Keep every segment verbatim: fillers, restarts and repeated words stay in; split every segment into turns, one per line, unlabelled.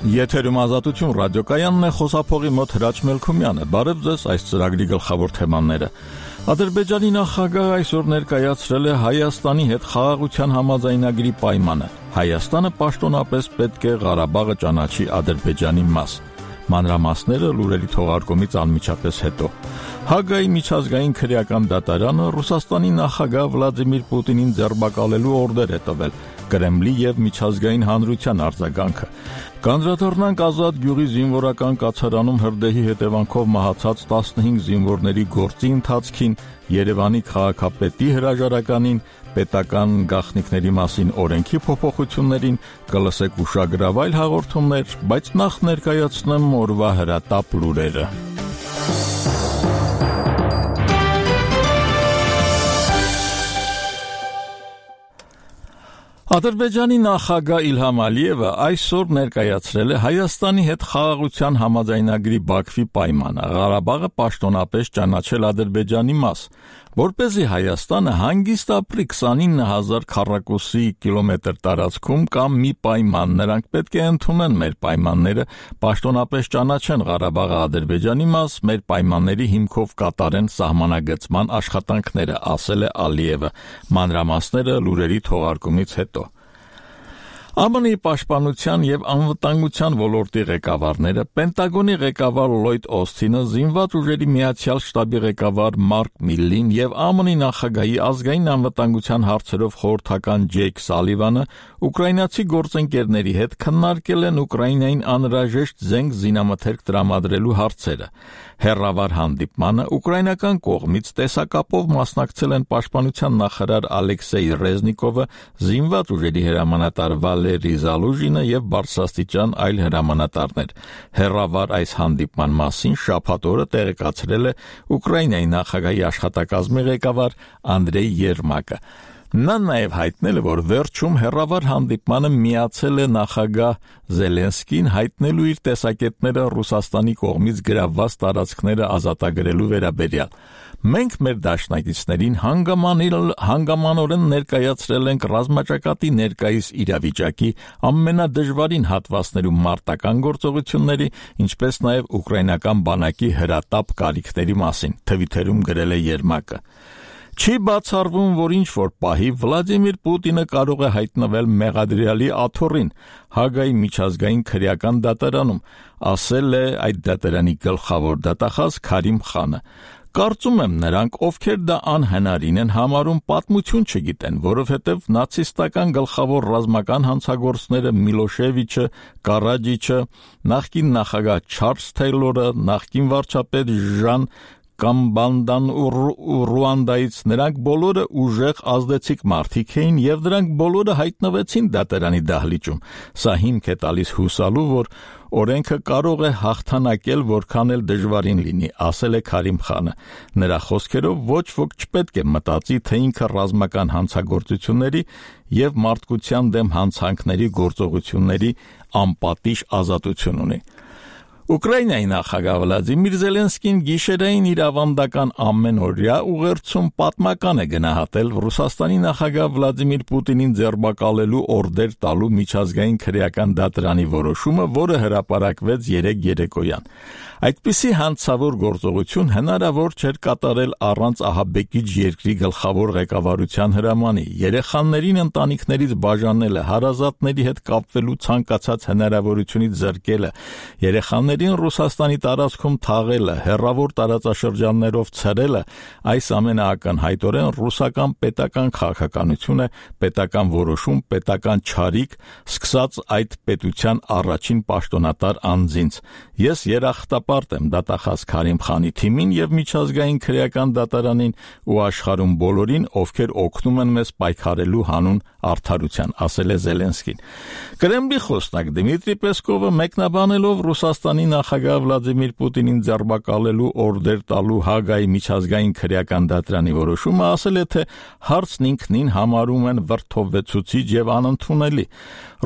Եթերում ազատություն ռադիոկայանն է, խոսափողի մոտ Հրաչ Մելքումյանը։ Բարև ձեզ, այս ծրագրի գլխավոր թեմաները։ Ադրբեջանի նախագահը այսօր ներկայացրել է Հայաստանի հետ խաղաղության համաձայնագրի պայմանը։ Հայաստանը պաշտոնապես պետք է Ղարաբաղը ճանաչի Ադրբեջանի մաս։ Մանրամասները լուրերի թողարկումից անմիջապես հետո։ Հագայի միջազգային քրեական դատարանը Ռուսաստանի նախագահ Վլադիմիր Պուտինին ձերբակալելու օրդեր է տվել։ Կրեմլի եւ միջազգային հանրության արձագանքը։ Կանդրադառնանք Ազատ գյուղի զինվորական կացարանում հրդեհի հետևանքով մահացած տասնհինգ զինվորների գործի ընթացքին, Երևանի քաղաքապետի հրաժարականին, պետական գաղտնիքների մասին օրենքի փոփոխություններին, կլսեք ուշագրավ այլ հաղորդումներ, բայց նախ ներկայացնեմ օրվա հրատապ լուրերը։ Ադրբեջանի նախագահ Իլհամ Ալիևը այսօր ներկայացրել է Հայաստանի հետ խաղաղության համաձայնագրի Բաքվի պայմանը, Ղարաբաղը պաշտոնապես ճանաչել Ադրբեջանի մաս, որպեսզի Հայաստանը հանգիստ ապրի քսանինը հազար քառակուսի կիլոմետր տարածքում կամ մի պայման, նրանք պետք է ընդունեն մեր պայմանները, պաշտոնապես ճանաչեն Ղարաբաղը Ադրբեջանի մաս, մեր պայմանների հիմքով կատարեն սահմանագծման աշխատանքները, ասել է Ալիևը, մանրամասները լուրերի թողարկումից հետո։ ԱՄՆ-ի պաշտպանության եւ անվտանգության ոլորտի ղեկավարները, Պենտագոնի ղեկավար Լլոյդ Օսթինը, Զինված ուժերի միացյալ շտաբի ղեկավար Մարկ Միլլին եւ ԱՄՆ-ի նախագահի ազգային անվտանգության հարցերով խորհրդական Ջեյք Սալիվանը ուկրաինացի գործընկերների հետ քննարկել են Ուկրաինային անհրաժեշտ զենք զինամթերք տրամադրելու հարցերը։ Հեռավար հանդիպմանը ուկրաինական կողմից տեսակապով մասնակցել են պաշտպանության նախարար Ալեքսեյ Ռեզնիկովը, Զինված ուժերի հրամանատար Վալերի Զալուժինը եւ բարձրաստիճան այլ հրամանատարներ։ Հեռավար այս հանդիպման մասին շաբաթ օրը տեղեկացրել է Ուկրաինայի նախագահի աշխատակազմի ղեկավար Անդրեյ Երմակը։ Նա նաև հայտնել է, որ վերջում հեռավար հանդիպմանը միացել է նախագահ Զելենսկին հայտնելու իր տեսակետները Ռուսաստանի կողմից գրավված տարածքները ազատագրելու վերաբերյալ։ Մենք մեր դաշնակիցներին հանգամանորեն ներկայացրել ենք ռազմաճակատի ներկայիս իրավիճակի ամենադժվարին հատվածներում մարտական գործողությունների, ինչպես նաև ուկրաինական բանակի հրատապ կարիքների մասին, թվիթերում գրել է Երմակը։ Չի բացառվում, որ ինչ-որ պահի Վլադիմիր Պուտինը կարող է հայտնվել մեղադրյալի աթոռին Հագայի միջազգային քրեական դատարանում, ասել է այդ դատարանի գլխավոր դատախազ Քարիմ Խանը։ Կարծում եմ նրանք, ովքեր դա անհնարին են համարում, պատմություն չգիտեն, որովհետև նացիստական գլխավոր ռազմական հանցագործները Միլոշևիչը, Կարաջիչը, նախկին նախագահ Չարլզ Թեյլորը, նախկին վարչապետ Ժան Կամբանդան ու Ռուանդայից, նրանք բոլորը ուժեղ ազդեցիկ մարդիկ էին եւ դրանք բոլորը հայտնվեցին դատարանի դահլիճում։ Սա հիմք է տալիս հուսալու, որ օրենքը կարող է հաղթանակել որքան էլ դժվարին լինի, ասել է Քարիմ Խանը։ Նրա խոսքերով ոչ ոք չպետք է մտածի, թե ինքը ռազմական հանցագործությունների եւ մարդկության դեմ հանցանքների գործողությունների անպատիժ ազատություն ունի։ Ուկրաինայի նախագահ Վլադիմիր Զելենսկին գիշերային իր ավանդական ամենօրյա ուղերձում պատմական է գնահատել Ռուսաստանի նախագահ Վլադիմիր Պուտինին ձերբակալելու օրդեր տալու միջազգային քրեական դատարանի որոշումը, որը հրապարակվեց երեկ երեկոյան։ Այդպիսի հանցավոր գործողություն հնարավոր չէր կատարել առանց ահաբեկիչ երկրի գլխավոր ղեկավարության հրամանի, երեխաներին ընտանիքներից բաժանելը, հարազատների հետ կապվելու ցանկացած հնարավորությունից զրկելը, երեխաներին Ռուսաստանի տարածքում թաղելը, հեռավոր տարածաշրջաններով ցրելը, այս ամենը ակնհայտորեն ռուսական պետական քաղաքականություն է, պետական որոշում, պետական չարիք, սկսած այդ պետության առաջին պաշտոնատար անձինց։ Ես երախտապարտ եմ դատախազ Քարիմ Խանի թիմին եւ միջազգային քրեական դատարանին ու աշխարհում բոլորին, ովքեր օգնում են մեզ պայքարելու հանուն արդարության, ասել է Զելենսկին։ Կրեմլի խոսնակ Դմիտրի Պեսկովը մեկնաբանելով Ռուսաստանի նախագահ Վլադիմիր Պուտինին ձերբակալելու օրդեր տալու Հագայի միջազգային քրեական դատարանի որոշումը, ասել է, թե հարցն ինքնին համարում են վրդովվեցուցիչ եւ անընդունելի։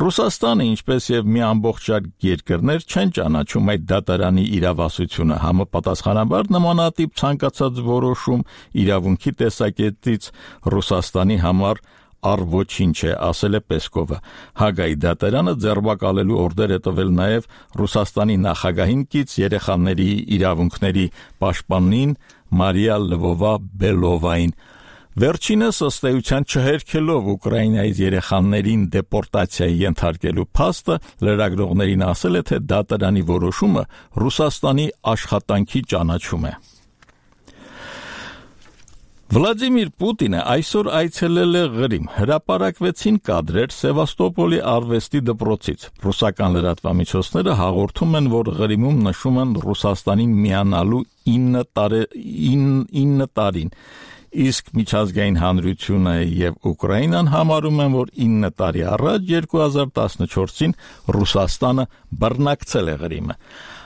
Ռուսաստանը, ինչպես եւ մի ամբողջ շարք երկրներ, չեն ճանաչում այդ դատարանի իրավասությունը, համապատասխանաբար նմանատիպ ցանկացած որոշում իրավունքի տեսակետից Ռուսաստանի համար առ ոչինչ է, ասել է Պեսկովը։ Հագայի դատարանը ձերբակալելու օրդեր է տվել նաև Ռուսաստանի նախագահին կից երեխաների իրավունքների պաշտպանին Մարիա Լվովա-Բելովային։ Վերջինս ըստ էության չհերքելով Ուկրաինայից երեխաներին դեպորտացիայի ենթարկելու փաստը լրագրողներին ասել է, թե դատարանի որոշումը Ռուսաստանի աշխատանքի ճանաչում է։ Վլադիմիր Պուտինը այսօր այցելել է Ղրիմ։ Հրապարակվեցին կադրեր Սևաստոպոլի արվեստի դպրոցից։ Ռուսական լրատվամիջոցները հաղորդում են, որ Ղրիմում նշում են Ռուսաստանին միանալու ինը տարին, իսկ միջազգային հանրությունը եւ Ուկրաինան համարում են, որ ինը տարի առաջ երկու հազար տասնչորսին Ռուսաստանը բռնակցել է Ղրիմը։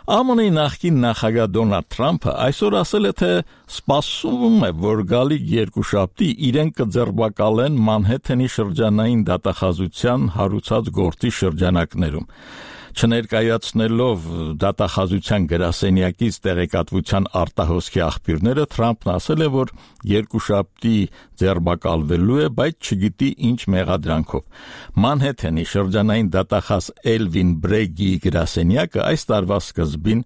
ԱՄՆ-ի նախկին նախագահ Դոնալդ Թրամփը այսօր ասել է, թե սպասում է, որ գալիք երկուշաբթի իրեն կձերբակալեն Մանհեթենի շրջանային դատախազության հարուցած գործի շրջանակներում։ Չներկայացնելով դատախազության գրասենյակից տեղեկատվության արտահոսքի աղբյուրները, Թրամփն ասել է, որ երկուշաբթի ձերբակալվելու է, բայց չգիտի ինչ մեղադրանքով։ Մանհեթենի շրջանային դատախազ Էլվին Բրեգիի գրասենյակը այս տարվա սկզբին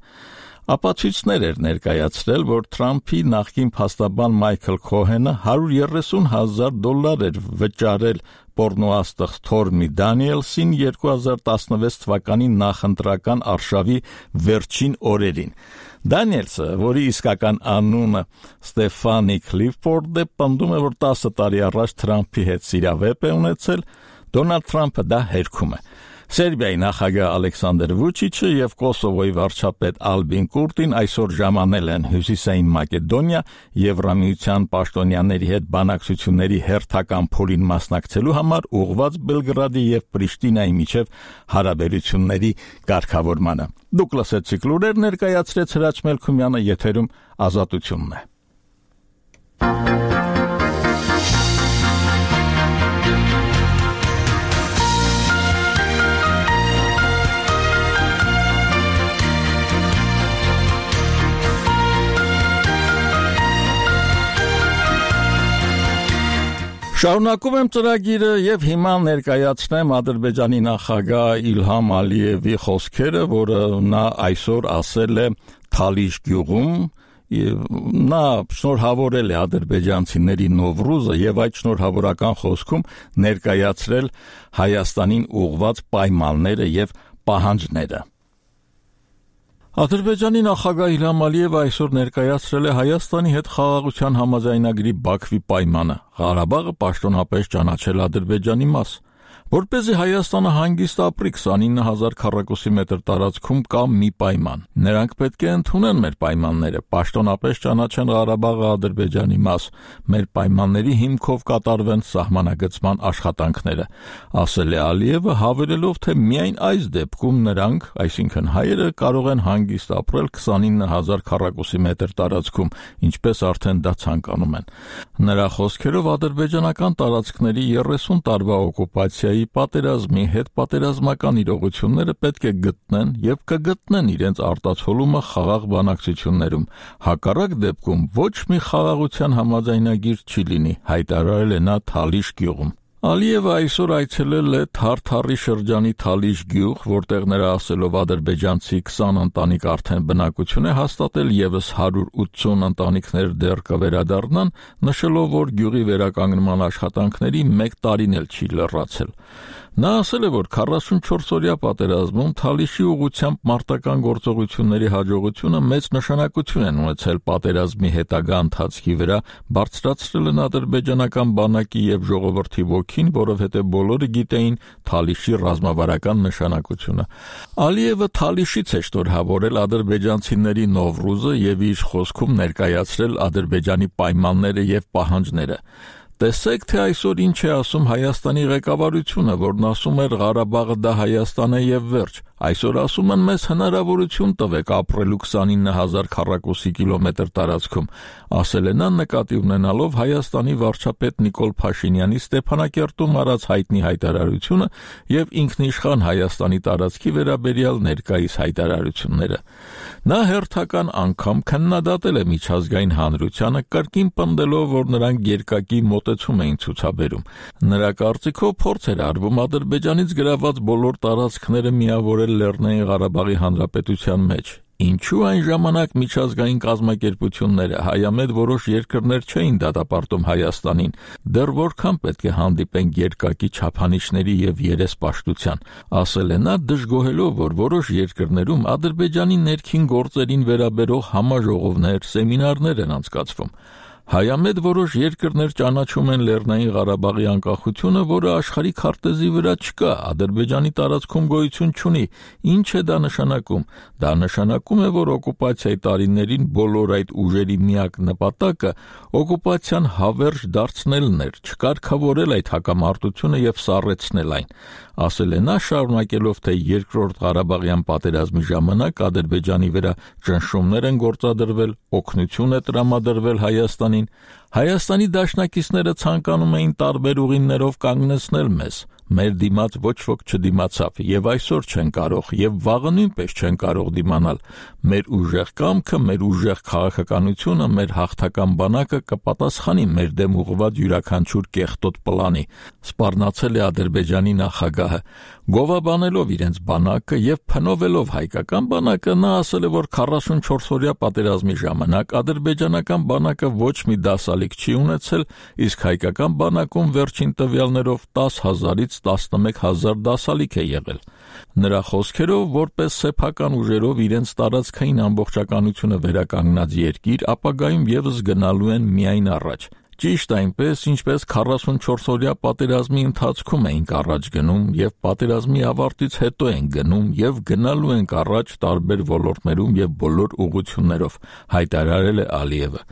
ապացույցներ էր ներկայացրել, որ Թրամփի նախկին փաստաբան Մայքլ Քոհենը հարյուր երեսուն հազար դոլար էր վճարել պոռնոաստղ Թորմի Դանիելսին երկու հազար տասնվեց թվականի նախընտրական արշավի վերջին օրերին։ Դանիելսը, որի իսկական անունը Ստեֆանի Քլիֆորդ է, պնդում է, որ տասը տարի առաջ Թրամփի հետ սիրավեպ է ունեցել, Դոնալդ Թրամփը դա հերքում է։ Սերբիայի նախագահ Ալեքսանդր Վուչիչը եւ Կոսովոյի վարչապետ Ալբին Կուրտին այսօր ժամանել են Հյուսիսային Մակեդոնիա Եվրամիության պաշտոնյաների հետ բանակցությունների հերթական փուլին մասնակցելու համար ուղղված Բելգրադի եւ Պրիշտինայի միջև հարաբերությունների կարգավորմանը։ Դուք լսեցիք լուրեր ներկայացրեց Հրաչ Մելքումյանը, եթերում Ազատությունն է։ Շարունակում եմ ծրագիրը եւ հիմա ներկայացնեմ Ադրբեջանի նախագահ Իլհամ Ալիևի խոսքերը, որը նա այսօր ասել է Թալիշ գյուղում, նա շնորհավորել է ադրբեջանցիների Նովրուզը եւ այդ շնորհավորական խոսքում ներկայացրել Հայաստանին ուղղված պայմանները եւ պահանջները։ Ադրբեջանի նախագահ Իլհամ Ալիևը այսօր ներկայացրել է Հայաստանի հետ խաղաղության համաձայնագրի Բաքվի պայմանը։ Ղարաբաղը պաշտոնապես ճանաչել Ադրբեջանի մաս։ Որպեսզի Հայաստանը հանգիստ ապրի քսանինը հազար քառակուսի մետր տարածքում կա մի պայման։ Նրանք պետք է ընդունեն մեր պայմանները, պաշտոնապես ճանաչեն Ղարաբաղը Ադրբեջանի մաս, մեր պայմանների հիմքով կատարվեն սահմանագծման աշխատանքները, ասել է Ալիևը, հավելելով, թե միայն այս դեպքում նրանք, այսինքն հայերը, կարող են հանգիստ ապրել քսանինը հազար քառակուսի մետր տարածքում, ինչպես արդեն դա ցանկանում են։ Նրա խոսքերով ադրբեջանական տարածքների երեսուն տարվա օկուպացիայի պատերազմի հետ պատերազմական իրողությունները պետք է գտնեն եւ կգտնեն իրենց արտացոլումը խաղաղ բանակցություններում։ Հակառակ դեպքում ոչ մի խաղաղության համաձայնագիր չի լինի, հայտարարել է նա Թալիշ գյուղում։ Ալիևը այսօր այցելել է Թարթարի շրջանի Թալիշ գյուղ, որտեղ նրա ասելով ադրբեջանցի քսան ընտանիք արդեն բնակություն է հաստատել, եւս հարյուր ութսուն ընտանիքներ դեռ կվերադառնան, նշելով, որ գյուղի վերականգնման աշխատանքների մեկ տարին էլ չի լրացել։ Նա ասել է, որ քառասունչորսօրյա պատերազմում Թալիշի ուղղությամբ մարտական գործողությունների հաջողությունը մեծ նշանակություն են ունեցել պատերազմի հետագա ընթացքի վրա, բարձրացրել են ադրբեջանական բանակի եւ ժողովրդի ոգին, որովհետեւ բոլորը գիտեին Թալիշի ռազմավարական նշանակությունը։ Ալիևը Թալիշից է շնորհավորել ադրբեջանցիների Նովրուզը եւ իր խոսքում ներկայացրել Ադրբեջանի պայմանները եւ պահանջները։ Տեսեք, թե այսօր ինչ է ասում Հայաստանի ղեկավարությունը, որն ասում էր Ղարաբաղը դա Հայաստան է եւ վերջ։ Այսօր ասում են մեզ հնարավորություն տվեք ապրելու քսանինը հազար քառակուսի կիլոմետր տարածքում, ասել է նա նկատի ունենալով Հայաստանի վարչապետ Նիկոլ Փաշինյանի Ստեփանակերտում արած հայտնի հայտարարությունը եւ ինքնիշխան Հայաստանի տարածքի վերաբերյալ ներկայիս հայտարարությունները։ Նա հերթական անգամ քննադատել է միջազգային հանրությանը, կրկին պնդելով, որ նրանք երկակի մոտ մոտեցում էին ցուցաբերում։ Նրա կարծիքով փորձ էր արվում Ադրբեջանից գրաված բոլոր տարածքները միավորել Լեռնային Ղարաբաղի Հանրապետության մեջ։ Ինչու այն ժամանակ միջազգային կազմակերպությունները հայամետ որոշ երկրներ չէին դատապարտում Հայաստանին, դեռ որքան պետք է հանդիպենք երկակի չափանիշների եւ երեսպաշտության, ասել է նա, դժգոհելով, որ որոշ երկրներում Ադրբեջանի ներքին գործերին վերաբերող համաժողովներ, սեմինարներ են անցկացվում։ Հայամետ որոշ երկրներ ճանաչում են Լեռնային Ղարաբաղի անկախությունը, որը աշխարհի քարտեզի վրա չկա, Ադրբեջանի տարածքում գոյություն չունի։ Ինչ է դա նշանակում։ Դա նշանակում է, որ օկուպացիայի տարիներին բոլոր այդ ուժերի միակ նպատակը օկուպացիան հավերժ դարձնելն էր, չկարգավորել այդ հակամարտությունը եւ սառեցնել այն։ Ասել է նա, շարունակելով, թե երկրորդ Ղարաբաղյան պատերազմի ժամանակ Ադրբեջանի վրա ճնշումներ են գործադրվել, օգնություն է տրամադրվել Հայաստանին։ Հայաստանի դաշնակիցները ցանկանում էին տարբեր ուղիներով կանգնեցնել մեզ։ Մեր դիմաց ոչ ոք չդիմացավ, եւ այսօր չեն կարող, եւ վաղը նույնպես չեն կարող դիմանալ։ Մեր ուժեղ կամքը, մեր ուժեղ քաղաքականությունը, մեր հաղթական բանակը կպատասխանի մեր դեմ ուղղված յուրաքանչյուր կեղտոտ պլանի, սպառնացել է Ադրբեջանի նախագահը։ Գովաբանելով իրենց բանակը եւ փնովելով հայկական բանակը, նա ասել է, որ քառասունչորս-օրյա պատերազմի ժամանակ ադրբեջանական բանակը ոչ մի դասալիկ չի ունեցել, իսկ հայկական բանակում վերջին տվյալներով տասը հազարից տասնմեկ հազար դասալիկ է եղել։ Նրա խոսքերով, որպես սեփական ուժերով իրենց տարածքային ամբողջականությունը վերականգնած երկիր, ապագայում եւս գնալու են միայն առաջ։ Ճիշտ այնպես, ինչպես քառասունչորս-օրյա պատերազմի ընթացքում էինք առաջ գնում եւ պատերազմի ավարտից հետո ենք գնում եւ գնալու ենք առաջ տարբեր ոլորտներում եւ բոլոր ուղղություններով, հայտարարել է Ալիևը։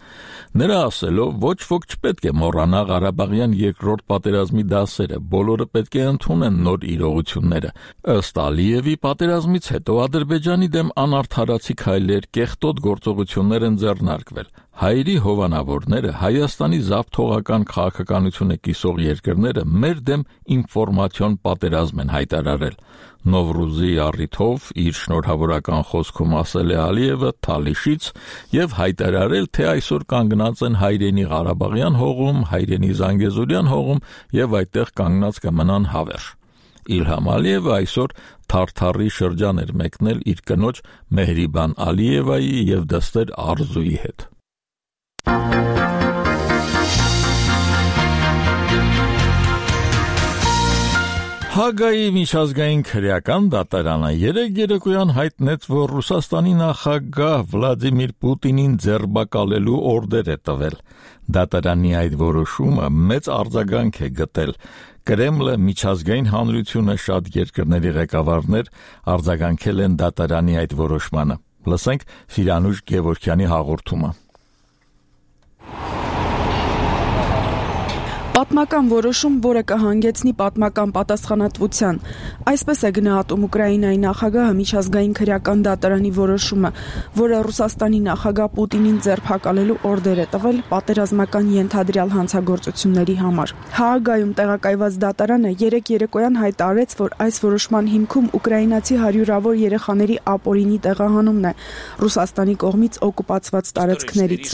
Նրա ասելով, ոչ ոք չպետք է մոռանա Ղարաբաղյան երկրորդ պատերազմի դասերը, բոլորը պետք է ընդունեն նոր իրողությունները։ Ըստ Ալիևի, պատերազմից հետո Ադրբեջանի դեմ անարդարացի քայլեր, կեղտոտ գործողություններ են ձեռնարկվել։ Հայերի հովանավորները, Հայաստանի զավթողական քաղաքականությունը կիսող երկրները մեր դեմ ինֆորմացիոն պատերազմ են հայտարարել։ Նովրուզի առիթով իր շնորհավորական խոսքում ասել է Ալիևը Թալիշից եւ հայտարարել, թե այսօր կանգնած են Հայրենի Ղարաբաղյան հողում, Հայրենի Զանգեզուրյան հողում եւ այդտեղ կանգնած կմնան հավերժ։ Իլհամ Ալիևը այսօր Թարթարի շրջան էր մեկնել իր կնոջ Մեհրիբան Ալիևայի եւ դստեր Արզուի հետ։ Հագայի միջազգային քրեական դատարանը երեկ երեկոյան հայտնեց, որ Ռուսաստանի նախագահ Վլադիմիր Պուտինին ձերբակալելու օրդեր է տվել։ Դատարանի այդ որոշումը մեծ արձագանք է գտել։ Կրեմլը, միջազգային հանրությունը, շատ երկրների ղեկավարներ արձագանքել են դատարանի այդ որոշմանը։ Լսենք Սիրանուշ Գևորգյանի հաղորդումը։
Պատմական որոշում, որը կհանգեցնի պատմական պատասխանատվության։ Այսպես է գնահատում Ուկրաինայի նախագահը միջազգային քրեական դատարանի որոշումը, որը Ռուսաստանի նախագահ Պուտինին ձերբակալելու օրդեր է տվել պատերազմական ենթադրյալ հանցագործությունների համար։ Հաագայում տեղակայված դատարանը երեկ երեկոյան հայտարարեց, որ այս որոշման հիմքում ուկրաինացի հարյուրավոր երեխաների ապօրինի տեղահանումն է Ռուսաստանի կողմից օկուպացված տարածքներից։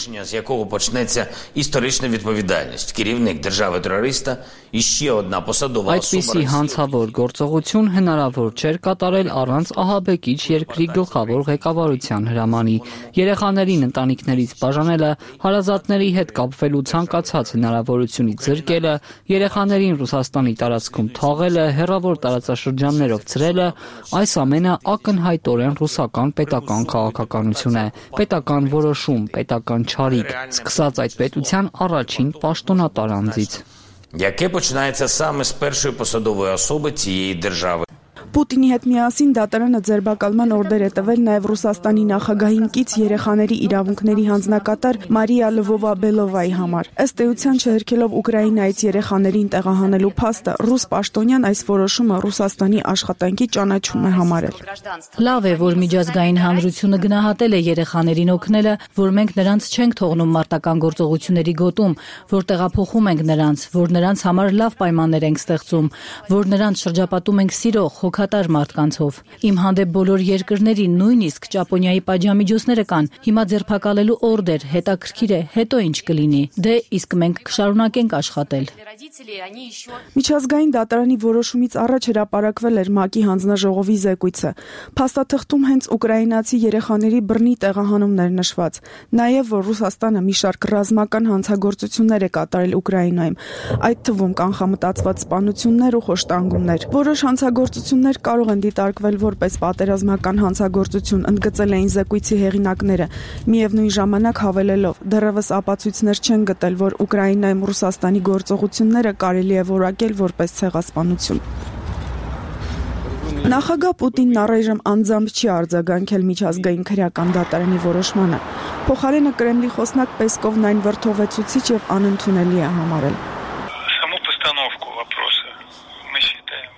Այդպիսի հանցավոր գործողություն հնարավոր չէր կատարել առանց ահաբեկիչ երկրի գլխավոր ղեկավարության հրամանի։ Երեխաներին ընտանիքներից բաժանելը, հարազատների հետ կապվելու ցանկացած հնարավորությունից զրկելը, երեխաներին Ռուսաստանի տարածքում թաղելը, հեռավոր տարածաշրջաններով ցրելը, այս ամենը ակնհայտորեն ռուսական պետական քաղաքականություն է, պետական որոշում, պետական չարիք, սկսած այդ պետության առաջին պաշտոնատար անձից։
Яке починається саме з першої посадової особи цієї держави.
Պուտինի հետ միասին դատարանը ձերբակալման օրդեր է տվել նաև Ռուսաստանի նախագահին կից երեխաների իրավունքների հանձնակատար Մարիա Լվովա-Բելովայի համար։ Ըստ էության չհրկելով Ուկրաինայից երեխաներին տեղահանելու փաստը, ռուս պաշտոնյան այս որոշումը Ռուսաստանի աշխատանքի ճանաչում է համարել։
Լավ է, որ միջազգային հանրությունը գնահատել է երեխաներին օգնելը, որ մենք նրանց չենք թողնում մարտական գործողությունների գոտում, որ տեղափոխում ենք նրանց, որ նրանց համար լավ պայմաններ ենք ստեղծում, որ նրանց շրջապատում ենք սիրող, հոգ բարեխաթար մարդկանցով։ Իմ հանդեպ բոլոր երկրներին, նույնիսկ Ճապոնիայի պատժամիջոցները կան։ Հիմա ձերբակալելու օրդեր, հետաքրքիր է, հետո ինչ կլինի։ Դե իսկ մենք կշարունակենք աշխատել։
Միջազգային դատարանի որոշումից առաջ հրապարակվել էր ՄԱԿ-ի հանձնաժողովի զեկույցը։ Փաստաթղթում հենց ուկրաինացի երեխաների բռնի տեղահանումներ նշված, նաև որ Ռուսաստանը մի շարք ռազմական հանցագործություններ է կատարել Ուկրաինայում, այդ թվում կանխամտածված սպանություններ ու խոշտանգումներ։ Որոշ հանցագործություններ կարող են դիտարկվել որպես պատերազմական հանցագործություն, ընդգծել էին զեկույցի հեղինակները, միևնույն ժամանակ հավելելով, դեռևս ապացույցներ չեն գտել, որ Ուկրաինայում Ռուսաստանի գործողությունները կարելի է որակել որպես ցեղասպանություն։ Նախագահ Պուտինն առայժմ անձամբ չի արձագանքել միջազգային քրեական դատարանի որոշմանը։ Փոխարենը Կրեմլի խոսնակ Պեսկովն այն վրդովեցուցիչ եւ անընդունելի է համարել։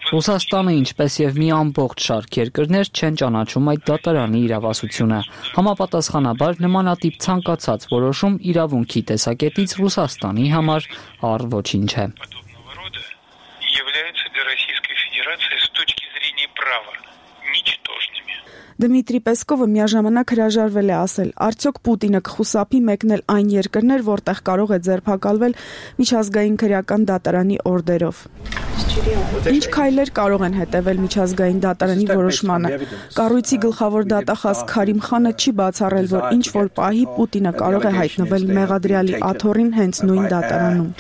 Ռուսաստանը, ինչպես եւ մի ամբողջ շարք երկրներ չեն ճանաչում այդ դատարանի իրավասությունը։ Համապատասխանաբար նմանատիպ ցանկացած որոշում իրավունքի տեսակետից Ռուսաստանի համար առ ոչինչ է։
Դմիտրի Պեսկովը միաժամանակ հրաժարվել է ասել, արդյոք Պուտինը կխուսափի մեկնել այն երկրներ, որտեղ կարող է ձերբակալվել միջազգային քրեական դատարանի օրդերով։ Ինչ քայլեր կարող են հետևել միջազգային դատարանի որոշմանը։ Կառույցի գլխավոր դատախազ Քարիմ Խանը չի բացառել, որ ինչ որ պահի Պուտինը կարող է հայտնվել մեղադրյալի աթոռին հենց նույն դատարանում։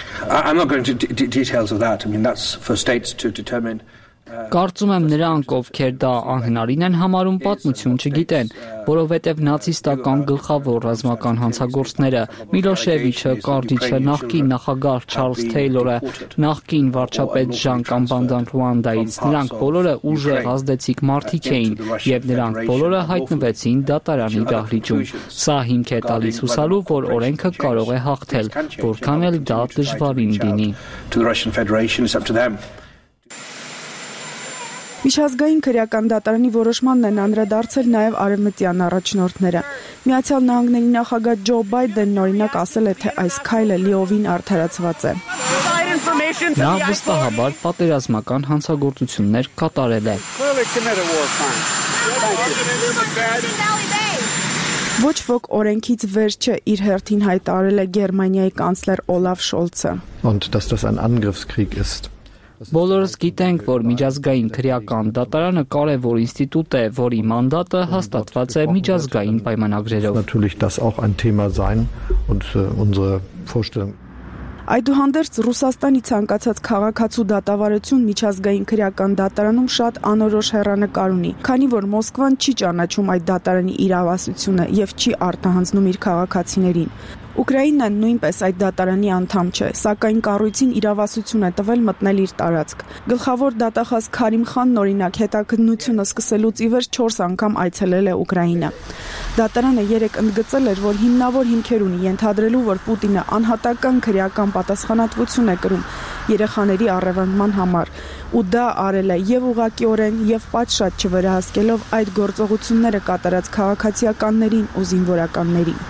Կարծում եմ նրանք, ովքեր դա անհնարին են համարում, պատմություն չգիտեն, որովհետև նացիստական գլխավոր ռազմական հանցագործները, Միլոշևիչը, Կարդիչը, նախկին նախագահ Չարլզ Թեյլորը, նախկին վարչապետ Ժան Կամբանդան Ռուանդայից, նրանք բոլորը ուժեղ ազդեցիկ մարդիկ էին, եւ նրանք բոլորը հայտնվեցին դատարանի դահլիճում։ Սա հիմք է տալիս հուսալու, որ օրենքը կարող է հաղթել, որքան էլ դա դժվարին լինի։
Միջազգային քրեական դատարանի որոշմանն են անդրադարձել նաև արևմտյան առաջնորդները։ Միացյալ Նահանգների նախագահ Ջո Բայդենն օրինակ ասել է, թե այս քայլը լիովին արդարացված է։
Նա վստահաբար պատերազմական հանցագործություններ կատարել է։
Ոչ ոք օրենքից վեր չէ, իր հերթին հայտարարել է Գերմանիայի կանցլեր Օլաֆ Շոլցը։
Und dass das ein Angriffskrieg ist.
Բոլորս գիտենք, որ միջազգային քրեական դատարանը կարևոր ինստիտուտ է, որի մանդատը հաստատված է միջազգային պայմանագրերով։
Natürlich das auch ein Thema sein und unsere Vorstellung.
Այդուհանդերձ Ռուսաստանի ցանկացած քաղաքացու դատավարություն միջազգային քրեական դատարանում շատ անորոշ հեռանկար ունի, քանի որ Մոսկվան չի ճանաչում այդ դատարանի իրավասությունը եւ չի արտահանձնում իր քաղաքացիներին։ Ուկրաինան նույնպես այդ դատարանի անդամ չէ, սակայն կառույցին իրավասություն է տվել մտնել իր տարածք։ Գլխավոր դատախազ Քարիմ Խանն օրինակ հետաքննությունը սկսելուց ի վեր չորս անգամ այցելել է Ուկրաինա։ Դատարանը երեք ընդգծել էր, որ հիմնավոր հիմքեր ունի ենթադրելու, որ Պուտինը անհատական քրեական պատասխանատվություն է կրում երեխաների առևանգման համար, ու դա արել է եւ ուղղակիորեն եւ պատշաճ չվերահսկելով այդ գործողությունները կատարած քաղաքացիականներին ու զինվորականներին։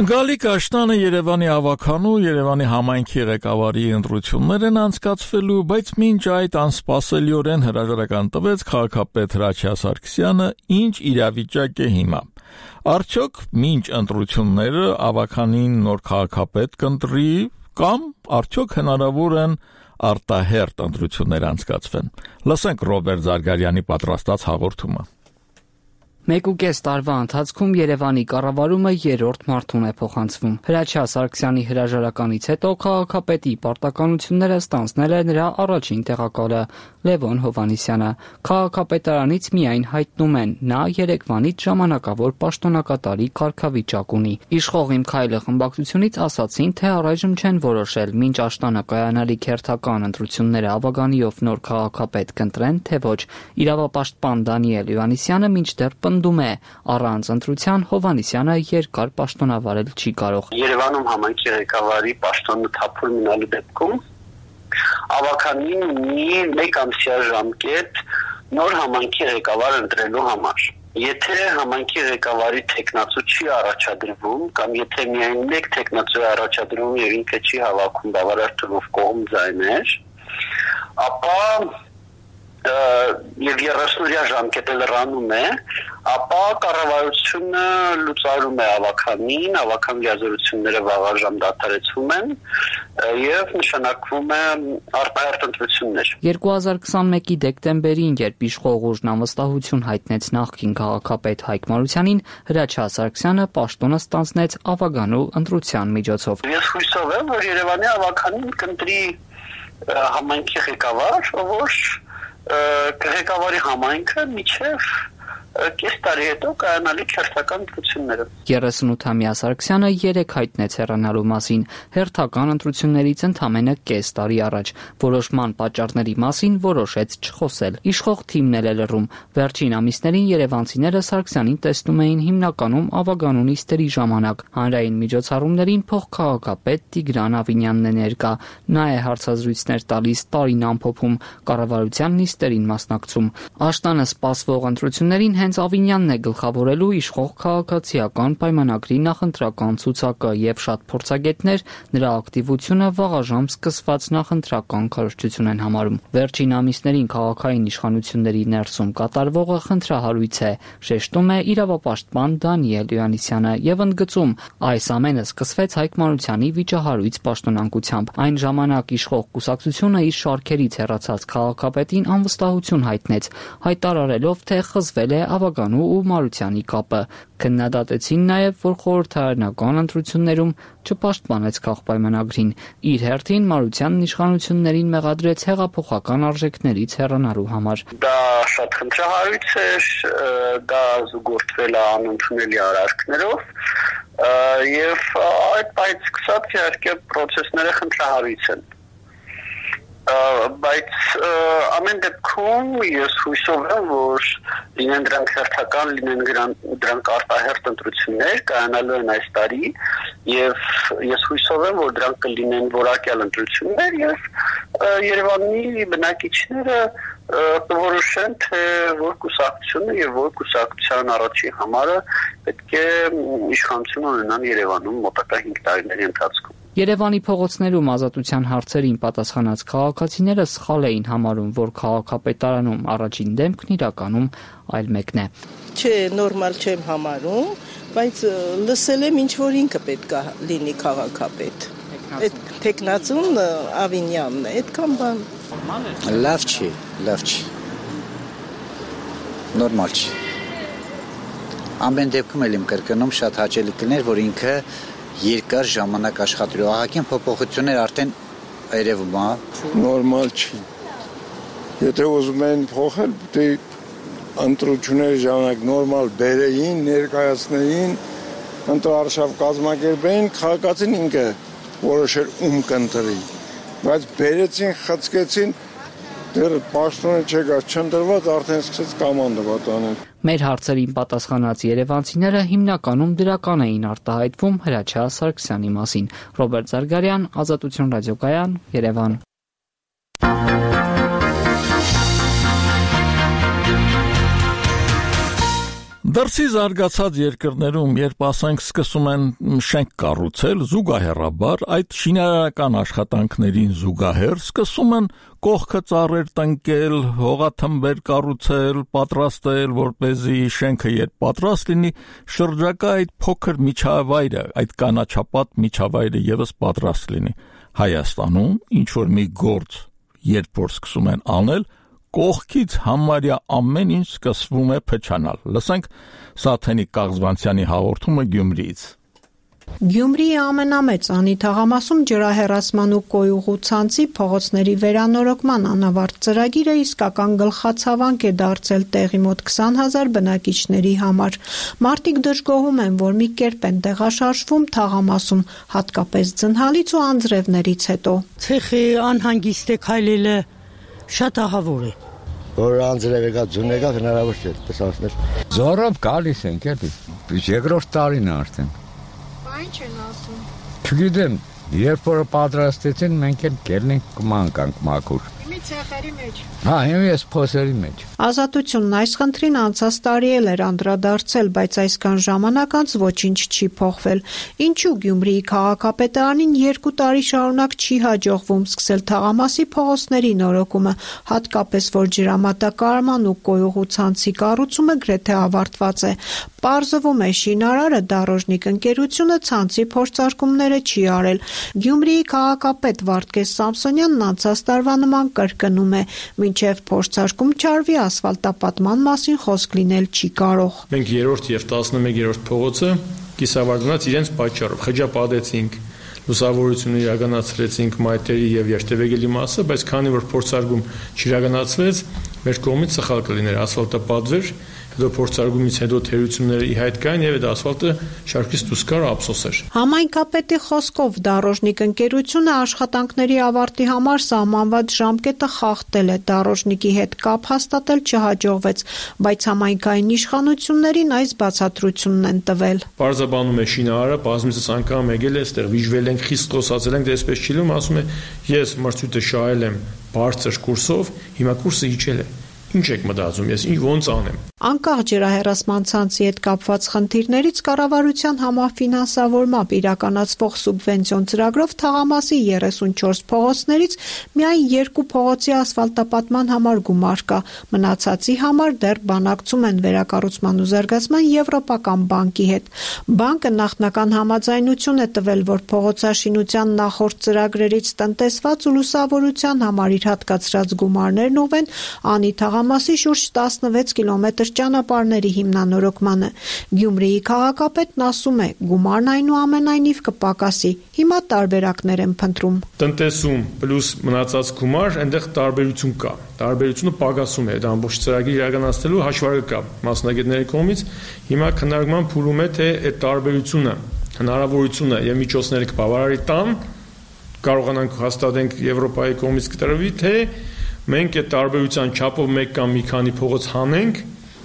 Գալիկ Աշտանը Երևանի ավականու, Երևանի համայնքի ղեկավարի ընտրություններ են անցկացվելու, բայց մինչ այդ անսպասելիորեն հրաժարական տվեց քաղաքապետ Հրաչյա Սարգսյանը, ինչ իրավիճակ է հիմա։ Արդյոք մինչ ընտրությունները ավականին նոր քաղաքապետ կընտրի կամ արդյոք հնարավոր են արտահերթ ընտրություններ անցկացվեն։ Լսենք Ռոբերտ Զարգարյանի պատրաստած հաղորդումը։
Մեկ ու կես տարվա ընթացքում Երևանի կառավարումը երրորդ մարդուն է փոխանցվում։ Հրաչյա Սարգսյանի հրաժարականից հետո քաղաքապետի պարտականությունները ստանձնել է նրա առաջին տեղակալը Լևոն Հովհաննիսյանը։ Քաղաքապետարանից միայն հայտնում են, նա Երևանից ժամանակավոր պաշտոնակատարի կարգավիճակ ունի։ Իշխող Իմ Քայլը խմբակցությունից ասացին, թե առայժմ չեն որոշել, մինչ աշտանը կայանալիք հերթական ընտրությունները ավագանիով նոր քաղաքապետ կընտրեն, թե ոչ։ Իրավապաշտպան Դանիել Հովհաննիսյանը մինչդեռ պնդում է, առանց ընտրության Հովհաննիսյանը երկար պաշտոնավարել չի կարող։
Երևանում համայնքի ղեկավարի պաշտոնը թափուր մնալու դեպքում ավականին ունի մեկ ամսյա ժամկետ նոր համայնքի ղեկավար ընտրելու համար։ Եթե համայնքի ղեկավարի տեխնացու չի առաջադրվում կամ եթե միայն մեկ տեխնացու է առաջադրվում եւ ինքը չի հավաքում բավարար թվով կողմ ձայներ, ապա եւ երեսնորյա ժամկետը լրանում է, ապա կառավարությունը լուծարում է ավականին, ավական լիազորությունները վաղաժամ դադարեցվում են եւ նշանակվում է արտահերտ ընտրություններ։
երկու հազար քսանմեկի դեկտեմբերին, երբ իշխող ուժն անվստահություն հայտնեց նախկին քաղաքապետ Հայկ Մարությանին, Հրաչյա Սարգսյանը պաշտոնը ստանձնեց ավագանու ընտրության միջոցով։
Ես հույսով եմ, որ Երևանի ավականին կընտրի համայնքի ղեկավար, որ կղեկավարի համայնքը միջև կես տարի հետո կայանալիք հերթական ընտրությունները։
երեսունութամյա Սարգսյանը երեք հայտնեց հեռանալու մասին հերթական ընտրություններից ընդամենը կես տարի առաջ։ Որոշման պատճառների մասին որոշեց չխոսել։ Իշխող թիմն էլ է լռում։ Վերջին ամիսներին երևանցիները Սարգսյանին տեսնում էին հիմնականում ավագանու նիստերի ժամանակ։ Հանրային միջոցառումներին փոխքաղաքապետ Տիգրան Ավինյանն է ներկա։ Նա է հարցազրույցներ տալիս, տարին ամփոփում, կառավարության նիստերին մասնակցում։ Աշտանը սպասվող ընտրություններին հենց Ավինյանն է գլխավորելու իշխող քաղաքացիական պայմանագրի նախընտրական ցուցակը եւ շատ փորձագետներ նրա ակտիվությունը վաղաժամ սկսված նախընտրական քարոզչություն են համարում։ Վերջին ամիսներին քաղաքային իշխանությունների ներսում կատարվողը խնդրահարույց է, շեշտում է իրավապաշտպան Դանիել Յովհաննիսյանը եւ ընդգծում, այս ամենը սկսվեց Հայկ Մարությանի վիճահարույց պաշտոնանկությամբ։ Այն ժամանակ իշխող կուսակցությունը իր շարքերից հեռացած քաղաքապետին անվստահություն հայտնեց, հայտարարելով, թե խզվել է ավագանու ու Մարությանի կապը։ Քննադատեցին նաև, որ խորհրդարանական ընտրություններում չպաշտպանեց քաղաքապայմանագրին։ Իր հերթին Մարությանն իշխանություններին մեղադրեց հեղափոխական արժեքներից հեռանալու համար։
Դա շատ խնդրահարույց էր, դա զուգորդվել է անընդունելի արարքներով եւ այդ պայծ սկսած իհարկե process-ները խնդրահարույց են։ Բայց ամեն դեպքում ես հույսով եմ, որ լինեն դրանք հերթական, լինեն դրանք արտահերտ ընտրություններ կայանալու են այս տարի եւ ես հույսով եմ, որ դրանք կլինեն որակյալ ընտրություններ եւ Երևանի բնակիչները որոշեն, թե որ կուսակցությունը եւ որ կուսակցության առաջի համարը պետք է իշխանություն ունենան Երևանում մոտակա հինգ տարիների ընթացքում։
Երևանի փողոցներում ազատության հարցերին պատասխանած քաղաքացիները սխալ էին համարում, որ քաղաքապետարանում առաջին դեմքն իրականում այլ մեկն է։
Չէ, նորմալ չեմ համարում, բայց լսել եմ ինչ որ ինքը պետք է լինի քաղաքապետ։ Այդ տեխնացուն Ավինյանն է, այդքան բան։
Լավ չի, լավ չի։ Նորմալ չի։ Ամեն դեպքում էլ իմ կրկնում շատ հաճելի կներ, որ ինքը երկար ժամանակ աշխատելու ահագին փոփոխություններ արդեն երևում է։
Նորմալ չի։ Եթե ուզում են փոխել, դե ընտրությունների ժամանակ նորմալ բերեին, ներկայացնեին, ընտրարշավ կազմակերպեին, քաղաքացին ինքը որոշեր ում կընտրի։ Բայց բերեցին, խցկեցին, դեռ պաշտոնը չեկար, չընտրված արդեն սկսեց կամանդovat անել։
Մեր հարցերին պատասխանած երևանցիները հիմնականում դրական էին արտահայտվում Հրաչյա Սարգսյանի մասին։ Ռոբերտ Զարգարյան, Ազատություն ռադիոկայան, Երևան։
Դրսի զարգացած երկրներում, երբ ասենք սկսում են շենք կառուցել, զուգահեռաբար այդ շինարարական աշխատանքներին զուգահեռ սկսում են կողքը ծառեր տնկել, հողաթմբեր կառուցել, պատրաստել, որպեսզի շենքը երբ պատրաստ լինի, շրջակա այդ փոքր միջավայրը, այդ կանաչապատ միջավայրը եւս պատրաստ լինի։ Հայաստանում ինչ որ մի գործ, երբ որ սկսում են անել, կողքից համարյա ամեն ինչ սկսվում է փչանալ։ Լսենք Սաթենիկ Կաղզվանցյանի հաղորդումը Գյումրիից։
Գյումրիի ամենամեծ անիթաղամասում ջրահեռացման ու կոյուղու ցանցի փողոցների վերանորոգման անավարտ ծրագիրը իսկական գլխացավանք է դարձել տեղի մոտ քսան հազար բնակիչների համար։ Մարդիկ դժգոհում են, որ մի կերպ են տեղաշարժվում թաղամասում, հատկապես ձնհալից ու անձրևներից հետո։
Ցեխի անհանգիստ է քայլելը շատ ահավոր է։
Որ անձրև եկա, ձուն եկա, հնարավոր չէ տեսածներ։
Զորով գալիս ենք, էլի։ Երկրորդ տարին է արդեն։
Ինչ են ասում։
Չգիտեմ, Երբ որ պատրաստեցին, մենք էլ կելնենք կմանկանք մաքուր։
Իմի ցախերի մեջ։
Հա, իմի էս փոսերի մեջ։
Ազատությունն այս խնդրին անցած տարի էլ էր անդրադարձել, բայց այսքան ժամանակ անց ոչինչ չի փոխվել։ Ինչու Գյումրիի քաղաքապետարանին երկու տարի շարունակ չի հաջողվում սկսել թաղամասի փողոցների նորոգումը, հատկապես որ ջրամատակարարման ու կոյուղու ցանցի կառուցումը գրեթե ավարտված է։ Պարզվում է շինարարը Դարոժնիկ ընկերությունը ցանցի փորձարկումները չի արել։ Գյումրիի քաղաքապետ Վարդգես Սամսոնյանն անցած տարվա նման կրկնում է, մինչև փորձարկում չարվի ասֆալտապատման մասին խոսք լինել չի կարող։
Մենք երրորդ եւ տասնմեկերորդ փողոցը կիսավարտանած իրենց պատճառով խճապատեցինք, լուսավորությունը իրականացրեցինք մայթերի եւ երթևեկելի մասը, բայց քանի որ փորձարկում չիրականացվեց, մեր կողմից սխալ կլիներ ասֆալտապատվեր, հետո փորձարկումից հետո թերությունները ի հայտ կային եւ այդ ասֆալտը շարքից դուրս գար ափսոս էր։
Համայնքապետի խոսքով Դարոժնիկ ընկերությունը աշխատանքների ավարտի համար սահմանված ժամկետը խախտել է, Դարոժնիկի հետ կապ հաստատել չհաջողվեց, բայց համայնքային իշխանություններին այս բացատրությունն են տվել։
Պարզաբանում է շինարարը, բազմիցս անգամ եկել է, այստեղ վիժվել ենք, խիստ խոսացել ենք, դե այսպես չի լինում, ասում է, ես մրցույթը շահել եմ բարձր կուրսով, հիմա կուրսը իջել է։ Ինչ եք մտածում, ես ինչ ոնց անեմ։
Անկախ ջրահեռացման ցանցի հետ կապված խնդիրներից կառավարության համաֆինանսավորմամբ իրականացվող սուբվենցիոն ծրագրով թաղամասի երեսունչորս փողոցներից միայն երկու փողոցի ասֆալտապատման համար գումար կա, մնացածի համար դեռ բանակցում են վերակառուցման ու զարգացման Եվրոպական բանկի հետ։ Բանկը նախնական համաձայնություն է տվել, որ փողոցաշինության նախորդ ծրագրերից տնտեսված ու լուսավորության համար իր հատկացրած գումարներն ուղղեն անի թաղամասի շուրջ տասնվեց կիլոմետր ճանապարհների հիմնանորոգմանը։ Գյումրիի քաղաքապետն ասում է, գումարն այնուամենայնիվ կպակասի։ Հիմա տարբերակներ են փնտրում։
Տնտեսում պլյուս մնացած գումար, այնտեղ տարբերություն կա։ Տարբերությունը պակասում է, այդ ամբողջ ծրագիրը իրականացնելու հաշվարկը կա մասնագետների կողմից։ Հիմա քննարկման փուլում է, թե այդ տարբերությունը, հնարավորությունը եւ միջոցները կբավարարի տան, կարողանանք հաստատենք Եվրոպայի կողմից կտրվի, թե մենք այդ տարբերության չափով մեկ կամ մի քանի փողոց հանենք,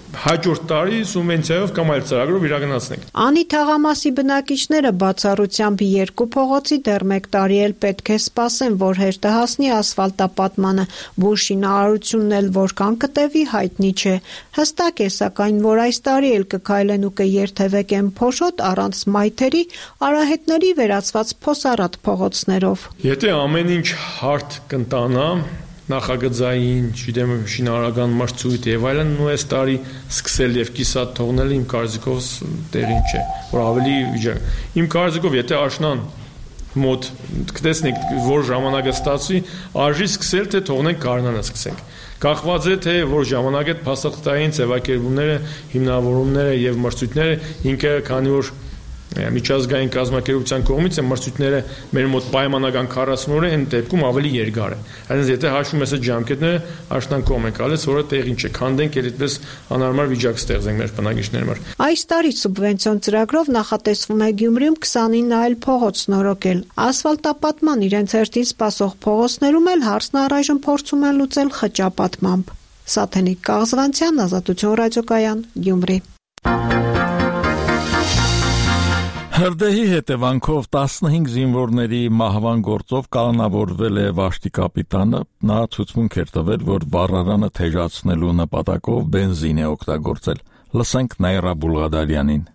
հաջորդ տարի սուբվենցիայով կամ այլ ծրագրով իրականացնենք։
Անի թաղամասի բնակիչները բացառությամբ երկու փողոցի դեռ մեկ տարի էլ պետք է սպասեն, որ հերթը հասնի ասֆալտապատմանը, բուժշինարարությունն էլ որքան կտևի հայտնի չէ։ Հստակ է սակայն, որ այս տարի էլ կքայլեն ու կերթևեկեն փոշոտ առանց մայթերի, արահետների վերածված փոսառատ փողոցներով։
Եթե ամեն ինչ հարթ կընտանա, նախագծային, չգիտեմ, շինարարական մրցույթ եւ այլն, ու այս տարի սկսել եւ կիսատ թողնել իմ կարծիքով տեղին չէ, որ ավելի վիճակ։ Իմ կարծիքով, եթե աշնան մոտ կտեսնենք, որ ժամանակը ստացվի, արժի սկսել, թե թողնենք գարնանը սկսենք։ Կախված է, թե որ ժամանակ այդ փաստաթղթային ձևակերպումները, հիմնավորումները եւ մրցույթները ինքը, քանի որ միջազգային կազմակերպության կողմից է մրցույթները մեր մոտ պայմանական քառասուն օր են, դեպքում ավելի երկար է։ Այսինքն եթե հաշվում ես այդ ժամկետները, աշնան կողմ ենք ալես, որը տեղին չէ, քանդենք էլ այդպես անհարմար վիճակ ստեղծենք մեր բնակիչների համար։
Այս տարի սուբվենցիոն ծրագրով նախատեսվում է Գյումրիում քսանինը այլ փողոց նորոգել։ Ասֆալտապատման իրենց հերթին սպասող փողոցներում էլ հարցն առայժմ փորձում են լուծել խճապատմամբ։ Սաթենիկ Կաղզվանցյան, Ազատություն ռադիոկայան, Գյումրի։
Հրդեհի հետևանքով տասնհինգ զինվորների մահվան գործով կալանավորվել է Վաշտի կապիտանը, նա ցույցմունք էր տվել, որ վառարանը թեժացնելու նպատակով բենզին է օգտագործել։ Լսենք Նայրա Բուլղադարյանին։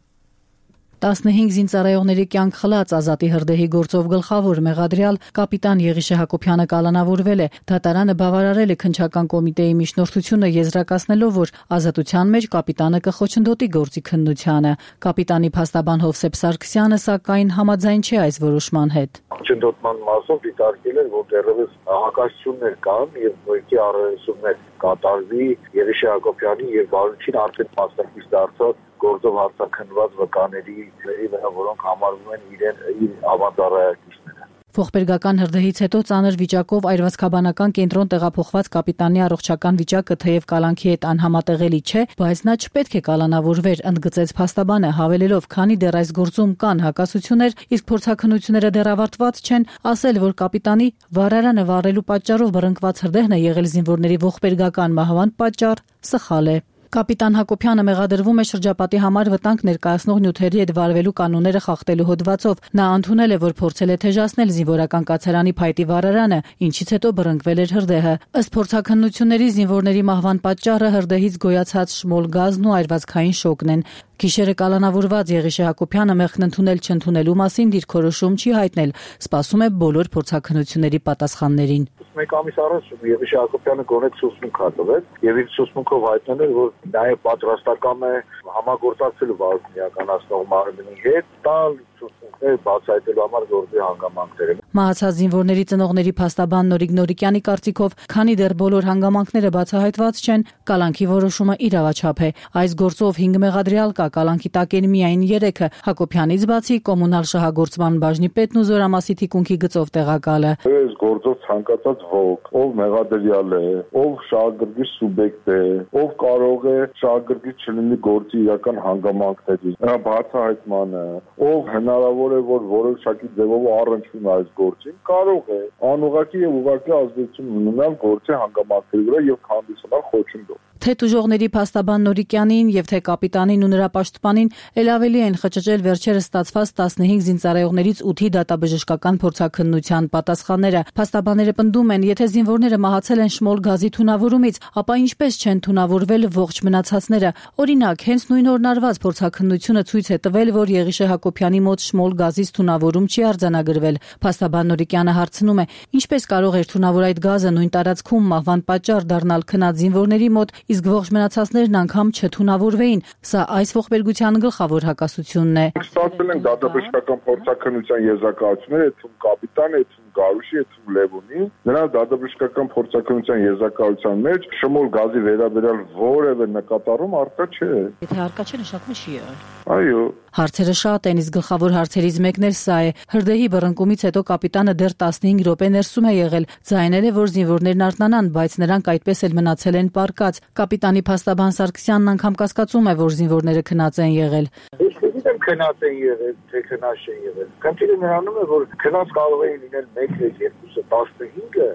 տասնհինգ զինծառայողների կյանք խլած Ազատի հրդեհի գործով գլխավոր մեղադրյալ կապիտան Եղիշե Հակոբյանը կալանավորվել է։ Դատարանը բավարարել է քննչական կոմիտեի միջնորդությունը եզրակացնելով, որ ազատության մեջ կապիտանը կխոչընդոտի գործի քննությանը։ Կապիտանի փաստաբան Հովսեփ Սարգսյանը սակայն համաձայն չէ այս որոշման հետ։
Քոչընդոտման մասով դիտարկել են, որ դեռևս հակասություններ կան եւ նույնքի առնչություններ կատարվի Եղիշե Հակոբյանի եւ Բարությունին արդեն մասնակից դարձած գործով հարցաքննված վկաների վրա, որոնք համարվում են իրեն իր ավանդառայակիցները։
Ողբերգական հրդեհից հետո ծանր վիճակով այրվածքաբանական կենտրոն տեղափոխված կապիտանի առողջական վիճակը թեև կալանքի հետ անհամատեղելի չէ, բայց նա չպետք է կալանավորվեր, ընդգծեց փաստաբանը, հավելելով, քանի դեռ այս գործում կան հակասություններ, իսկ փորձաքննությունները դեռ ավարտված չեն, ասել, որ կապիտանի վառարանը վառելու պատճառով բռնկված հրդեհն է եղել զինվորների ողբերգական մահվան պատճառ, սխալ է։ Կապիտան Հակոբյանը մեղադրվում է շրջապատի համար վտանգ ներկայացնող նյութերի հետ վարվելու կանոնները խախտելու հոդվածով։ Նա ընդունել է, որ փորձել է թեժացնել զինվորական կացարանի փայտի վարարանը, ինչից հետո բռնկվել էր հրդեհը։ Ըստ փորձաքննությունների զինվորների մահվան պատճառը հրդեհից գոյացած շմոլ գազն ու այրվածքային շոկն են։ Գիշերը կալանավորված Եղիշե Հակոբյանը մեղքն ընդունել-չընդունելու մասին դիրքորոշում չի հայտնել, սպասում է բոլոր փորձաքննությունների պատասխաններին։
Մեկ ամիս առաջ Եղիշե Հակոբյանը գոնե ցուցմունք հատվեց եւ իր ցուցմունքով հայտնել էր, որ նաեւ պատրաստական է համագործակցելու վարույթ իրականացնող մարմնի հետ, տալ ցուցմունքներ բացահայտելու համար գործի հանգամանքները։
Մահացած զինվորների ծնողների փաստաբան Նորիկ Նորիկյանի կարծիքով, քանի դեռ բոլոր հանգամանքները բացահայտված չեն, կալանքի որոշումը իրավաչափ է։ Այս գործով հինգ մեղադրյալ կա, կալանքի տակ են միայն երեքը, Հակոբյանից բացի կոմունալ շահագործման բաժնի պետն ու Զորամասի թիկունքի գծով տեղակալը։
Այս գործով ցանկացած ոք, ով մեղադրյալ է, ով շահագրգիռ սուբյեկտ է, ով կարող է շահագրգիռ չլինի գործի իրական հանգամանքների, նրա բացահայտմանը, ով հնարավոր է, որ որոշակի ձևով առնչվում է այս գործին, կարող է անուղղակի եւ ուղղակի ազդեցություն ունենալ գործի հանգամանքների վրա եւ հանդիսանալ խոչընդոտ։
Թե տուժողների փաստաբան Նորիկյանին եւ թե կապիտանին ու նրա պաշտպանին ել ավելի են խճճել վերջերս ստացված տասնհինգ զինծառայողներից ութի դատաբժշկական փորձաքննության պատասխանները։ Փաստաբանները պնդում են, եթե զինվորները մահացել են շմոլ գազի թունավորումից, ապա ինչպես չեն թունավորվել ողջ մնացածները։ Օրինակ, հենց նույն օրն արված փորձաքննությունը ցույց է տվել, որ Եղիշե Հակոբյանի մոտ շմոլ գազից թունավորում չի արձանագրվել։ Փաստաբան Նորիկյանը հարցնում է, ինչպես կարող էր թունավոր այդ գազը նույն տարածքում մահվան պատճառ դառնալ քնած զինվորների մոտ, իսկ ողջ մնացածներն անգամ չթունավորվեին։ Սա այս ողբերգության գլխավոր հակասությունն է։
Ստացվել են դատաբժշկական փորձաքննության եզրակացությունները, այդում կապիտան, այդում Գարուշի, այդում Լևոնի, նրանց դատաբժշկական փորձաքննության եզրակացության մեջ շմոլ գազի վերաբերյալ որևէ նկատառում առկա չէ։
Եթե առկա չէ, նշանակում է չի եղել։
Այո։
Հարցերը շատ են, իսկ գլխավոր հարցերից մեկն էլ սա է։ Հրդեհի բռնկումից հետո կապիտանը դեռ տասնհինգ րոպե ներսում է եղել, ձայնել է, որ զինվորներն արթնանան, բայց նրանք այդպես էլ մնացել են պառկած։ Կապիտանի փաստաբան Սարգսյանն անգամ կասկածում է, որ զինվորները քնած են եղել։
Ես գիտեմ քնած են եղել, թե քնած չեն եղել։ Քննիլը նրանում է, որ քնած կարող էին լինել մեկ, երկուսը, տասնհինգը,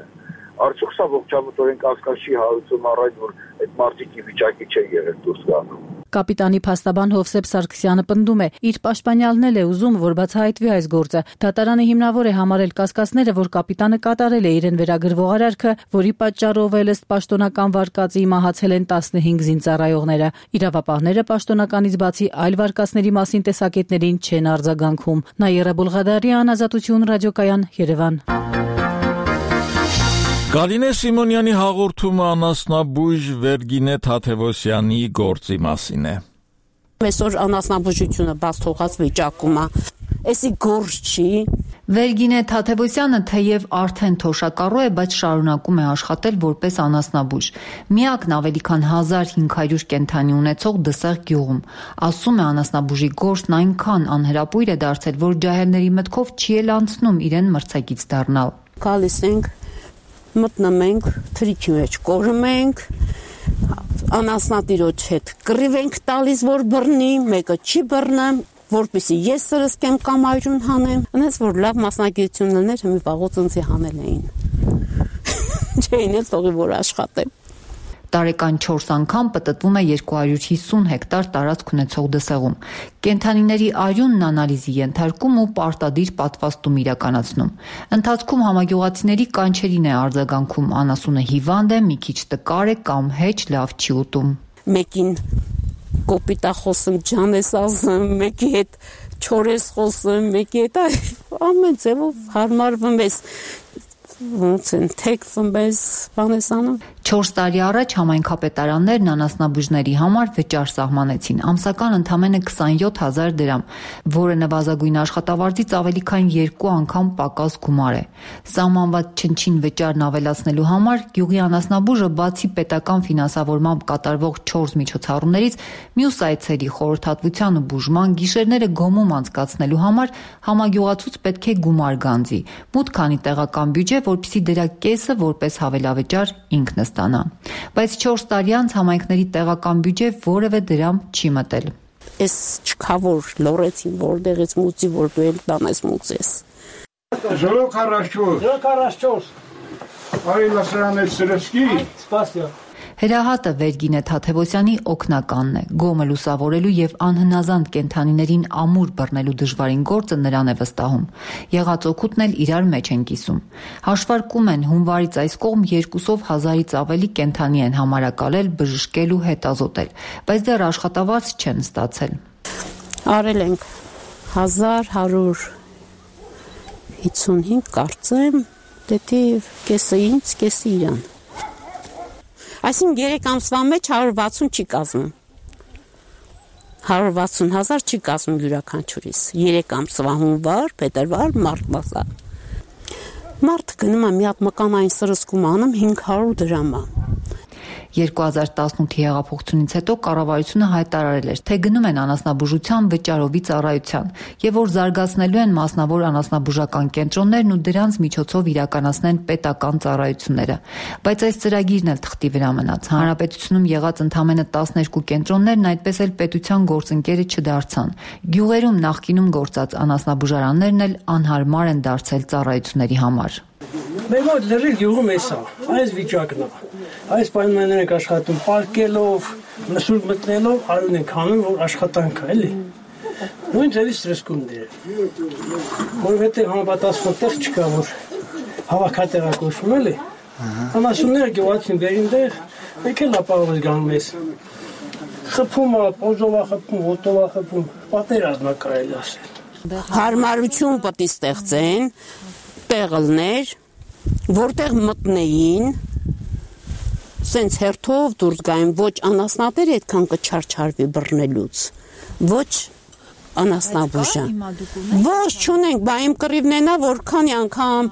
արդյոք սա ողջամտորեն կասկած չի հարուցում առայն, որ այդ մարդիկ ի վիճակի չեն եղել դուրս գալու։
Կապիտանի փաստաբան Հովսեփ Սարգսյանը պնդում է, իր պաշտպանյալն էլ է ուզում, որ բացահայտվի այս գործը։ Դատարանը հիմնավոր է համարել կասկածները, որ կապիտանը կատարել է իրեն վերագրվող արարքը, որի պատճառով էլ ըստ պաշտոնական վարկածի մահացել են տասնհինգ զինծառայողները։ Իրավապահները պաշտոնականից բացի այլ վարկածների մասին տեսակետներին չեն արձագանքում։ Նաիրա Բուլղադարյան, Ազատություն ռադիոկայան, Երևան։
Գալինե Սիմոնյանի հաղորդումը անասնաբույժ Վերգինե Թաթևոսյանի գործի մասին է։
Այսօր անասնաբուժությունը բաց թողած վիճակում է։ Էսի գործ չի։
Վերգինե Թաթևոսյանը թեև արդեն թոշակառու է, բայց շարունակում է աշխատել որպես անասնաբույժ։ Միակն ավելի քան հազար հինգ հարյուր կենդանի ունեցող Դսեղ գյուղում։ Ասում է, անասնաբուժի գործն այնքան անհրապույր է դարձել, որ ջահելների մտքով չի էլ անցնում իրեն մրցակից դառնալ։
Գալիս ենք, մտնում ենք, թրիքի մեջ կորում ենք, անասնատիրոջ հետ կռիվ ենք տալիս, որ բռնի, մեկը չի բռնեմ, որպեսզի ես սրսկեմ կամ այրուն հանեմ, այնպես որ լավ մասնագիտություն լիներ, մի վաղուց ինձ հանել էին։ Չէին էլ թողի որ աշխատեմ։
Տարեկան չորս անգամ պտտվում է երկու հարյուր հիսուն հեկտար տարածք ունեցող Դսեղում։ Կենդանիների արյունն անալիզի ենթարկում ու պարտադիր պատվաստում իրականացնում։ Ընթացքում համագյուղացիների կանչերին է արձագանքում, անասունը հիվանդ է, մի քիչ տկար է կամ հեչ լավ չի ուտում։
Մեկին կոպիտա խոսում, ջան ես ասում, մեկի հետ չոր ես խոսում, մեկի հետ ամեն ձևով հարմարվում ես։ Ոնց են թեքվում ես, բան ես անում։
Չորս տարի առաջ համայնքապետարաններն անասնաբույժների համար վճար սահմանեցին, ամսական ընդամենը քսանյոթ հազար դրամ, որը նվազագույն աշխատավարձից ավելի քան երկու անգամ պակաս գումար է։ Սահմանված չնչին վճարն ավելացնելու համար գյուղի անասնաբույժը բացի պետական ֆինանսավորմամբ կատարվող չորս միջոցառումներից, մյուս այցերի խորհրդատվության ու բուժման գիշերները գոմում անցկացնելու համար համագյուղացուց պետք է գումար գանձի, մուտք քանի տեղական բյուջե, որպեսզի դրա կեսը որպես հավելավճար ինքն ստանա։ Բայց չորս տարի անց համայնքների տեղական բյուջե որևէ դրամ չի մտել։
Էս չկա որ լորեցին որտեղից մուծի, որ դու էլ տանես մուծես։
Ժողով քառասչորս։
քառասչորս։
Արի լասրանել սրսկի։
Սպասյա։
Հրահատը Վերգինե Թաթևոսյանի օգնականն է։ Գոմը լուսավորելու եւ անհնազանդ կենդանիներին ամուր բռնելու դժվարին գործը նրան է վստահում։ Եղած օգուտն էլ իրար մեջ են կիսում։ Հաշվարկում են հունվարից այս կողմ երկուսով հազարից ավելի կենդանի են համարակալել, բժշկել ու հետազոտել, բայց դեռ աշխատավարձ չեն ստացել։
Արել ենք հազար հարյուր հիսունհինգ կարծեմ, դեպի կեսը ինձ, կեսը իրան։ Այսինքն երեք ամսվա մեջ հարյուր վաթսուն չի կազմում։ հարյուր վաթսուն հազար չի կազմում յուրաքանչյուրիս։ երեք ամսվա հունվար, փետրվար, մարտ մասա։ Մարտ գնում է մի հատ մկանային սրսկում անում հինգ հարյուր դրամ։
երկու հազար տասնութի հեղափոխությունից հետո կառավարությունը հայտարարել էր, թե գնում են անասնաբուժության վճարովի ծառայության եւ որ զարգացնելու են մասնավոր անասնաբուժական կենտրոններն ու դրանց միջոցով իրականացնեն պետական ծառայությունները։ Բայց այս ծրագիրն էլ թղթի վրա մնաց։ Հանրապետությունում եղած ընդամենը տասներկու կենտրոններն այդպես էլ պետության գործընկերը չդարձան։ Գյուղերում նախկինում գործած անասնաբուժարաններն էլ անհարմար են դարձել ծառայությունների համար։
Մեր մոտ լրիվ գյուղում էսա, այս վիճակն է։ Այս պայմաններն ենք աշխատում պարկելով, լսուր մտնելով, արուն ենք անում, որ աշխատանք է, էլի։ Նույն ձևի ստրեսկումներ է։ Որովհետև համապատասխան տեղ չկա, որ հավաքատեղակոչվում էլի։ Անասունները գյուղացին բերին դեղ, մեկ էլ ապահովս գանում ես։ Խփում է, պոզովա խփում, ոտովա խփում, պատերազմ է կարելի ասել։
Հարմարություն պետք է ստեղծեն, տեղլներ, որտեղ մտնեին, սենց հերթով դուրս գային, ոչ անասնատեր այդքան կչարչարվի բռնելուց, ոչ անասնաբուժան։ Ոչ չունենք, բա իմ կռիվն է, որքանի անգամ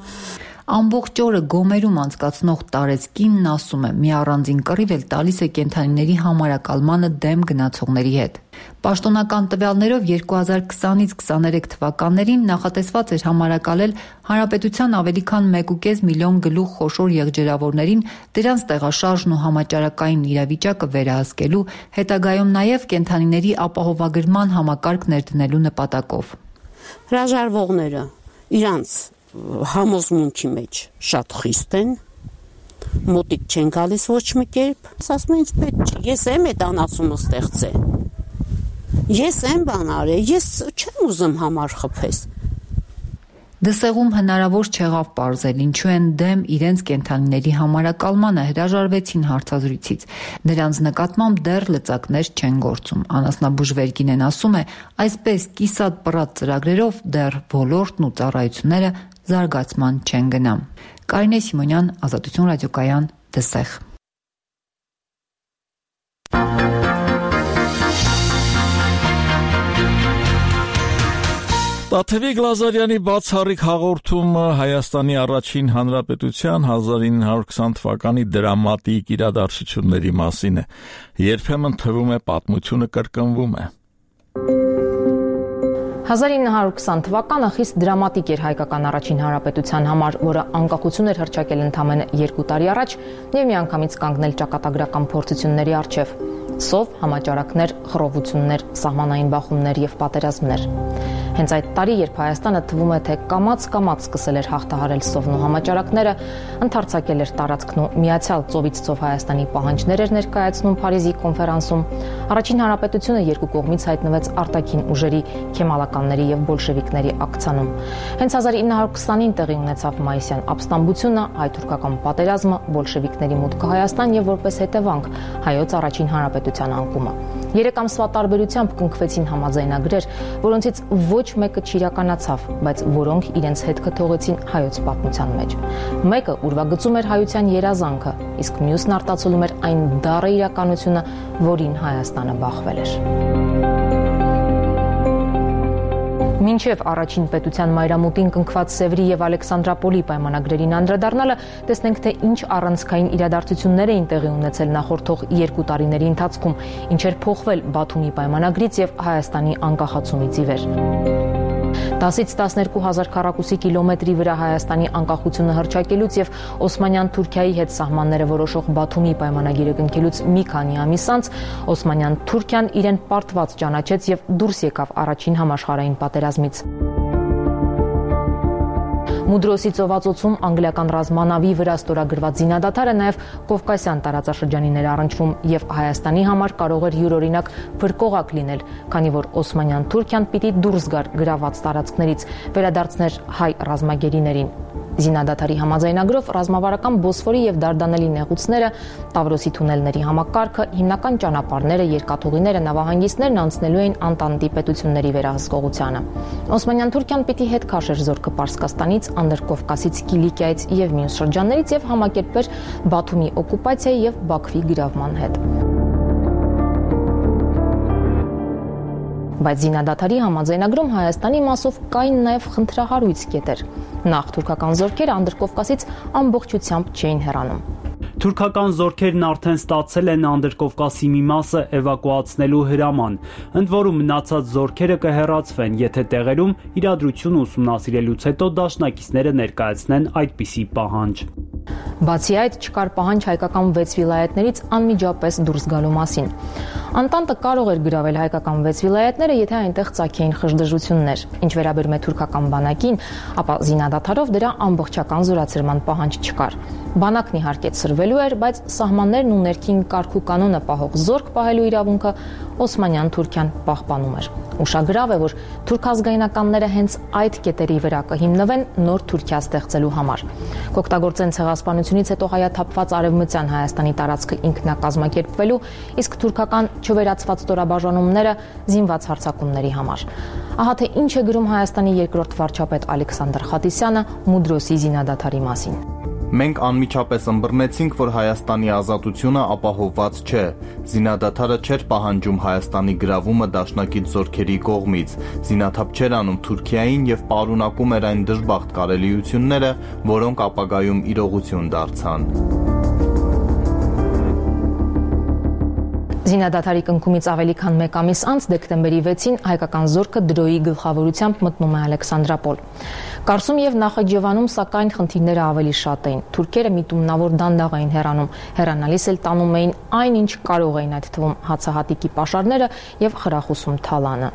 Ամբողջ օրը գոմերում անցկացնող տարեցկինն ասում է, մի առանձին կռիվ էլ տալիս է կենդանիների համարակալմանը դեմ գնացողների հետ։ Պաշտոնական տվյալներով երկու հազար քսանից քսաներեք թվականներին նախատեսված էր համարակալել հանրապետության ավելի քան մեկ ու կես միլիոն գլուխ խոշոր եղջերավորներին դրանց տեղաշարժն ու համաճարակային իրավիճակը վերահսկելու, հետագայում նաև կենդանիների ապահովագրման համակարգ ներդնելու նպատակով։
Հրաժարվողները իրանց համոզմունքի մեջ շատ խիստ են, մոտիկ չեն գալիս ոչ մի կերպ, ասում են ինձ պետք չի, ես եմ այդ անասունը ստեղծել, ես եմ բան արել, ես չեմ ուզում համար խփես։
Դսեղում հնարավոր չեղավ պարզել, ինչու են դեմ իրենց կենդանիների համարակալմանը, հրաժարվեցին հարցազրույցից։ Նրանց նկատմամբ դեռ լծակներ չեն գործում։ Անասնաբուժ Վերգինեն ասում է, այսպես կիսատ պռատ ծրագրերով դեռ ոլորտն ու ծառայությունները զարգացման չեն գնա։ Կարինե Սիմոնյան, Ազատություն ռադիոկայան, Դսեղ։
Տաթևիկ Լազարյանի բացառիկ հաղորդումը Հայաստանի առաջին հանրապետության հազար ինը հարյուր քսան թվականի դրամատիկ իրադարձությունների մասին է։ Երբեմն թվում է պատմությունը կրկնվում է։
հազար ինը հարյուր քսան թվականը խիստ դրամատիկ էր հայկական առաջին հանրապետության համար, որը անկախություն էր հռչակել ընդամենը երկու տարի առաջ եւ միանգամից կանգնել ճակատագրական փորձությունների առջև։ Սով, համաճարակներ, խռովություններ, սահմանային բախումներ եւ պատերազմներ։ Հենց այդ տարի, երբ Հայաստանը թվում է, թե կամաց-կամաց սկսել էր հաղթահարել սովն ու համաճարակները, ընդարձակել էր տարածքն ու միացյալ ծովից ծով Հայաստանի պահանջներ էր ներկայացնում Փարիզի կոնֆերանսում, առաջին հանրապետությունը երկու կողմից հայտնվեց արտաքին ուժերի, քեմալականների եւ բոլշևիկների ակցանում։ Հենց հազար ինը հարյուր քսանին տեղի ունեցավ մայիսյան ապստամբությունը, հայ-թուրքական պատերազմը, բոլշևիկների մուտքը Հայաստան եւ որպես հետևանք հայոց առաջին հանրապետության անկումը։ Երեք ամսվա տարբերությամբ կնքվեցին համաձայնագրեր, որոնցից ոչ մեկը չիրականացավ, բայց որոնք իրենց հետքը թողեցին հայոց պատմության մեջ։ Մեկը ուրվագծում էր հայության երազանքը, իսկ մյուսն արտացոլում էր այն դառը իրականությունը, որին Հայաստանը բախվել էր։ Մինչև առաջին պետության մայրամուտին կնքված Սևրի եւ Ալեքսանդրապոլի պայմանագրերին անդրադառնալը, տեսնենք, թե ինչ առանցքային իրադարձություններ էին տեղի ունեցել նախորդող երկու տարիների ընթացքում, ինչեր փոխվել Բաթումի պայմանագրից եւ Հայաստանի անկախացումից ի վեր։ տասից տասներկու հազար քառակուսի կիլոմետրի վրա Հայաստանի անկախությունը հռչակելուց եւ Օսմանյան Թուրքիայի հետ սահմանները որոշող Բաթումի պայմանագիրը կնքելուց մի քանի ամիս անց Օսմանյան Թուրքիան իրեն պարտված ճանաչեց եւ դուրս եկավ առաջին համաշխարհային պատերազմից։ Մուդրոսի ծովածոցում անգլիական ռազմանավի վրա ստորագրված զինադադարը նաև Կովկասյան տարածաշրջանին էր առնչվում եւ Հայաստանի համար կարող էր յուրօրինակ փրկողակ լինել, քանի որ Օսմանյան Թուրքիան պիտի դուրս գար գրաված տարածքներից, վերադարձներ հայ ռազմագերիներին։ Զինադադարի համաձայնագրով ռազմավարական Բոսֆորի եւ Դարդանելի նեղուցները, Տավրոսի թունելների համակարգը, հիմնական ճանապարհները, երկաթուղիները, նավահանգիստներն անցնելու էին Անտանտի պետությունների վերահսկողությանը։ Օսմանյան Թուրքիան պիտի հետ քաշեր զորքը Պարսկաստանից, Անդրկովկասից, Կիլիկիայից եւ մյուս շրջաններից եւ համակերպվեր Բաթումի օկուպացիայի եւ Բաքվի գրավման հետ։ Բայց զինադադարի համաձայնագրում Հայաստանի մասով կային նաև խնդրահարույց կետեր։ Նախ թուրքական զորքերը Անդրկովկասից ամբողջությամբ չէին հեռանում։
Թուրքական զորքերն արդեն ստացել են Անդրկովկասի մի մասը էվակուացնելու հրաման, ընդ որում մնացած զորքերը կհեռացվեն, եթե տեղերում իրադրությունը ուսումնասիրելուց հետո դաշնակիցները ներկայացնեն այդպիսի պահանջ։ Բացի այդ, չկար պահանջ հայկական վեց վիլայետներից անմիջապես դուրս գալու մասին։ Անտանտը կարող էր գրավել հայկական վեց վիլայետները, եթե այնտեղ ծագեին խժդժություններ։ Ինչ վերաբերում է թուրքական բանակին, ապա զինադադարով դրա ամբողջական զորացրման պահանջ չկար։ Բանակն իհարկե ցրվելու էր, բայց սահմաններն ու ներքին կարգ ու կանոնը պահող զորք պահելու իրավունքը Օսմանյան Թուրքիան պահպանում էր։ Ուշագրավ է, որ թուրք ազգայնականները հենց այդ կետերի վրա կհիմնվեն նոր Թուրքիա ստեղծելու համար։ Կօգտագործեն ցեղասպանությունից հետո հայաթափված արևմտյան Հայաստանի տարածքը ինքնակազմակերպվելու, իսկ թուրքական չվերացված ստորաբաժանումները զինված հարձակումների համար։ Ահա թե ինչ է գրում Հայաստանի երկրորդ վարչապետ Ալեքսանդր Խատիսյանը Մուդրոսի զինադադարի մասին։
Մենք անմիջապես ըմբռնեցինք, որ Հայաստանի ազատությունը ապահովված չէ։ Զինադադարը չէր պահանջում Հայաստանի գրավումը դաշնակից զորքերի կողմից։ Զինաթափ չէր անում Թուրքիային եւ պարունակում էր այն դժբախտ կարելիությունները, որոնք ապագայում իրողություն դարձան։
Զինադադարի կնքումից ավելի քան մեկ ամիս անց դեկտեմբերի վեցին հայկական զորքը դրոյի գլխավորությամբ մտնում է Ալեքսանդրապոլ։ Կարսում եւ Նախիջևանում սակայն խնդիրները ավելի շատ էին։ Թուրքերը միտումնավոր դանդաղ էին հեռանում, հեռանալիս էլ տանում էին այն, ինչ կարող էին, այդ թվում հացահատիկի պաշարները եւ խրախուսում թալանը։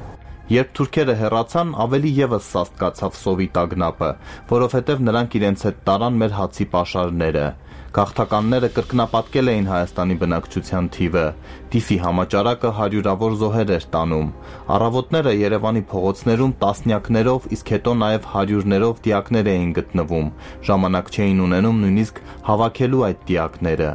Երբ թուրքերը հեռացան, ավելի եւս սաստկացավ սովի տագնապը, որովհետեւ նրանք իրենց հետ տարան մեր հացի պաշարները։ Գաղթականները կրկնապատկել էին Հայաստանի բնակչության թիվը։ Տիֆի համաճարակը հարյուրավոր զոհեր էր տանում։ Առավոտները Երևանի փողոցներում տասնյակներով, իսկ հետո նաև հարյուրներով դիակներ էին գտնվում։ Ժամանակ չէին ունենում նույնիսկ հավաքելու այդ դիակները։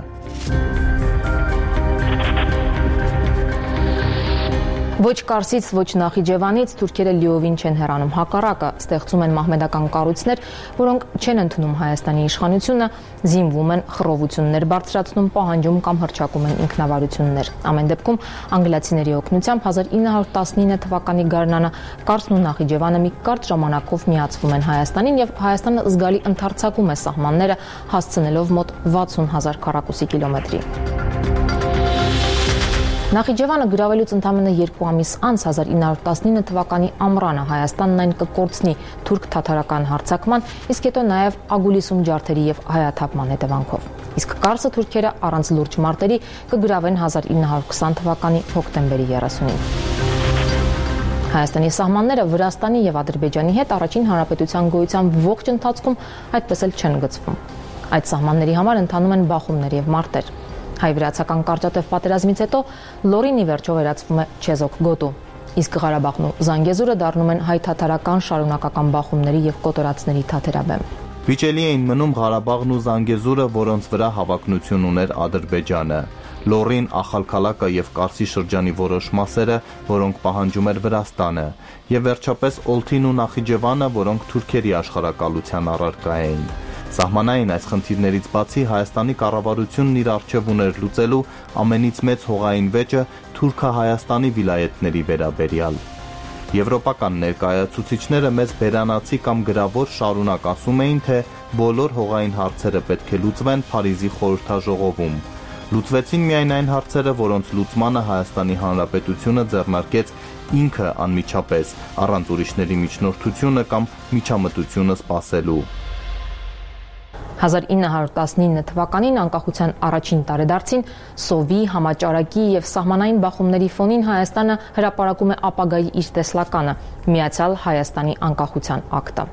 Ոչ Կարսից, ոչ Նախիջևանից թուրքերը լիովին չեն հեռանում, հակառակը ստեղծում են մահմեդական կառույցներ, որոնք չեն ընդունում Հայաստանի իշխանությունը, զինվում են, խռովություններ բարձրացնում, պահանջում կամ հռչակում են ինքնավարություններ։ Ամեն դեպքում անգլիացիների օգնությամբ հազար ինը հարյուր տասնինը թվականի գարնանը Կարսն ու Նախիջևանը մի կարճ ժամանակով միացվում են Հայաստանին եւ Հայաստանը զգալի ընդարձակում է սահմանները, հասցնելով մոտ վաթսուն հազար քառակուսի կիլոմետրի։ Նախիջևանը գրավելուց ընդամենը երկու ամիս անց հազար ինը հարյուր տասնինը թվականի ամռանը Հայաստանն այն կկորցնի թուրք-թաթարական հարձակման, իսկ հետո նաև Ագուլիսում ջարդերի եւ հայաթափման հետևանքով։ Իսկ Կարսը թուրքերը առանց լուրջ մարտերի կգրավեն հազար ինը հարյուր քսան թվականի հոկտեմբերի երեսունին։ Հայաստանի սահմանները Վրաստանի եւ Ադրբեջանի հետ առաջին հանրապետության գոյության ողջ ընթացքում այդպես էլ չեն գծվում։ Այդ սահմանների համար ընթանում են բախումներ եւ մարտեր։ Հայ-վրացական կարճատև պատերազմից հետո Լորին ի վերջո վերածվում է չեզոք գոտու, իսկ Ղարաբաղն ու Զանգեզուրը դառնում են հայ-թաթարական շարունակական բախումների եւ կոտորածների թաթերաբեմ։
Վիճելի էին մնում Ղարաբաղն ու Զանգեզուրը, որոնց վրա հավակնություն ուներ Ադրբեջանը։ Լորին, Ախալքալակը եւ Կարսի շրջանի որոշ մասերը, որոնք պահանջում էր Վրաստանը, եւ վերջապես Օլթին ու Նախիջևանը, որոնք թուրքերի աշխարհակալության առարկա էին։ Սահմանային այս խնդիրներից բացի Հայաստանի կառավարությունն իր առջև ուներ լուծելու ամենից մեծ հողային վեճը Թուրքա-Հայաստանի վիլայետների վերաբերյալ։ Եվրոպական ներկայացուցիչները մեծ բերանացի կամ գրավոր շարունակ ասում էին, թե բոլոր հողային հարցերը պետք է լուծվեն Փարիզի խորհրդաժողովում։ Լուծվեցին միայն այն հարցերը, որոնց լուծմանը Հայաստանի Հանրապետությունը ձեռնարկեց ինքը անմիջապես, առանց ուրիշների միջնորդությունը կամ միջամտությունը սպասելու։
հազար ինը հարյուր տասնինը թվականին անկախության առաջին տարեդարձին սովի, համաճարակի եւ սահմանային բախումների ֆոնին Հայաստանը հրապարակում է ապագայի իր տեսլականը՝ Միացյալ Հայաստանի անկախության ակտը։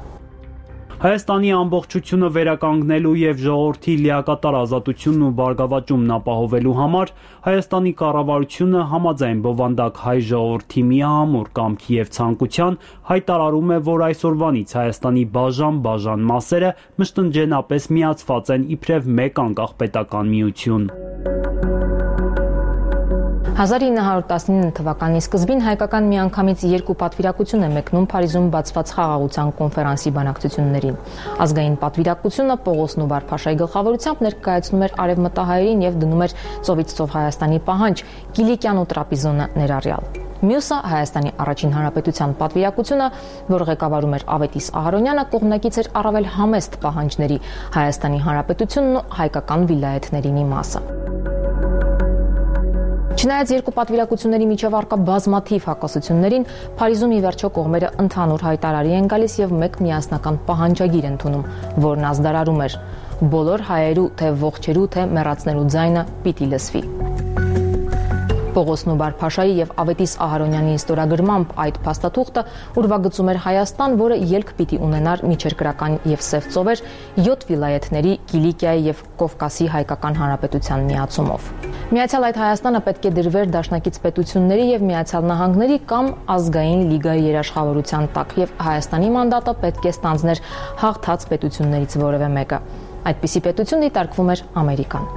Հայաստանի ամբողջությունը վերականգնելու եւ ժողովրդի լիակատար ազատությունն ու բարգավաճումն ապահովելու համար Հայաստանի կառավարությունը համաձայն բովանդակ հայ ժողովրդի միահամուռ կամքի եւ ցանկության հայտարարում է, որ այսօրվանից Հայաստանի բաժան-բաժան մասերը մշտնջենապես միացված են իբրև մեկ անկախ պետական միություն։
հազար ինը հարյուր տասնինը թվականի սկզբին հայկական միանգամից երկու պատվիրակություն է մեկնում Փարիզում բացված խաղաղության կոնֆերանսի բանակցություններին։ Ազգային պատվիրակությունը Պողոս Նուբար-Փաշայի գլխավորությամբ ներկայացնում էր արևմտահայերին եւ դնում էր ծովից ծով Հայաստանի պահանջ Կիլիկյան ու Տրապիզոնը ներառյալ։ Մյուսը Հայաստանի առաջին հանրապետության պատվիրակությունը, որ ղեկավարում էր Ավետիս Ահարոնյանը, կողմնակից էր առավել համեստ պահանջների Հայաստանի հանրապետությունն ու հայկական վիլայեթների մի մասը։ Չնայած երկու պատվիրակությունների միջև առկա բազմաթիվ հակասություններին, Փարիզում ի վերջո կողմերը ընդհանուր հայտարարի են գալիս եւ մեկ միասնական պահանջագիր ընդունում, որն ազդարարում էր բոլոր հայերու, թե ողջերու, թե մեռածներու ձայնը պիտի լսվի։ Պողոս Նուբար-Փաշայի եւ Ավետիս Ահարոնյանի ստորագրմամբ այդ փաստաթուղթը ուրվագծում էր Հայաստան, որը ելք պիտի ունենար միջերկրական եւ սև ծովեր յոթ վիլայեթների Կիլիկիայի եւ Կովկասի հայկական հանրապետության միացումով։ Միացյալ այդ Հայաստանը պետք է դրվեր դաշնակից պետությունների եւ Միացյալ Նահանգների կամ ազգային լիգայի երաշխավորության տակ եւ Հայաստանի մանդատը պետք է ստանձներ հաղթած պետություններից որևէ մեկը։ Այդպիսի պետություն դիտարկվում էր Ամերիկան։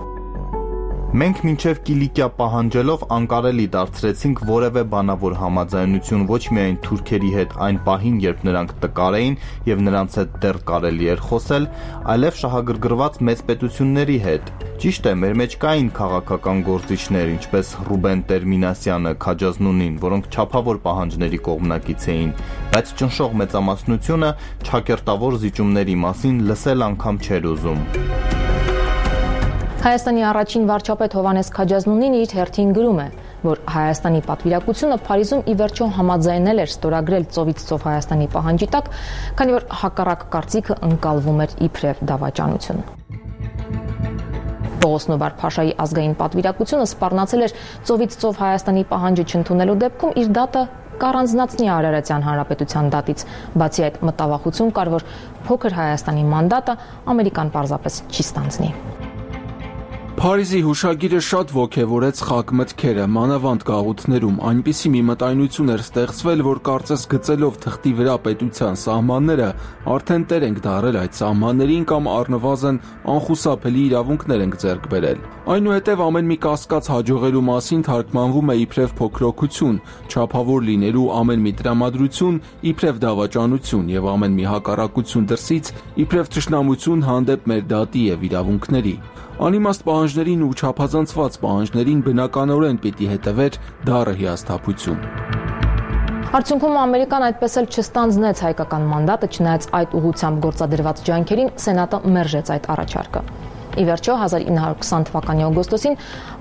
Մենք մինչև Կիլիկիա պահանջելով անկարելի դարձրեցինք որևէ բանավոր համաձայնություն ոչ միայն թուրքերի հետ այն պահին, երբ նրանք տկար էին եւ նրանց հետ դեռ կարելի էր խոսել, այլև շահագրգռված մեծ պետությունների հետ։ Ճիշտ է, մեր մեջ կային քաղաքական գործիչներ, ինչպես Ռուբեն Տերմինասյանը, Քաջազնունին, որոնք չափավոր պահանջների կողմնակից էին, բայց ճնշող մեծամասնությունը ճակերտավոր զիջումների մասին լսել անգամ չէր ուզում։
Հայաստանի առաջին վարչապետ Հովհաննես Քաջազնունին իր հերթին գրում է, որ Հայաստանի պատվիրակությունը Փարիզում ի վերջո համաձայնել էր ստորագրել ծովից ծով Հայաստանի պահանջի տակ, քանի որ հակառակ կարծիքը ընկալվում էր իբրև դավաճանություն։ Պողոս Նուբար-Փաշայի ազգային պատվիրակությունը սպառնացել էր ծովից ծով Հայաստանի պահանջը չընդունելու դեպքում իր դատը կառանձնացնի Արարատյան հանրապետության դատից, բացի այդ մտավախություն կար, որ փոքր Հայաստանի մանդատը Ամերիկան պարզապես չի ստանձնի։
Փարիզի հուշագիրը շատ ոգևորեց խակ մտքերը, մանավանդ գաղութներում, այնպիսի մի մտայնություն էր ստեղծվել, որ կարծես գծելով թղթի վրա պետության սահմանները, արդեն տեր ենք դարել այդ սահմաններին կամ առնվազն անխուսափելի իրավունքներ ենք ձեռք բերել։ Այնուհետև ամեն մի կասկած հաջողելու մասին թարգմանվում է իբրև փոքրոքություն, չափավոր լինելու ամեն մի տրամադրություն իբրև դավաճանություն եւ ամեն մի հակառակություն դրսից իբրև թշնամություն հանդեպ մեր դատի եւ իրավունքների։ Անիմաստ պահանջներին ու չափազանցված պահանջներին բնականորեն պիտի հետևեր դառը հիասթափություն։
Արդյունքում Ամերիկան այդպես էլ չստանձնեց հայկական մանդատը, չնայած այդ ուղղությամբ գործադրված ջանքերին Սենատը մերժեց այդ առաջարկը։ Ի վերջո հազար ինը հարյուր քսան թվականի օգոստոսին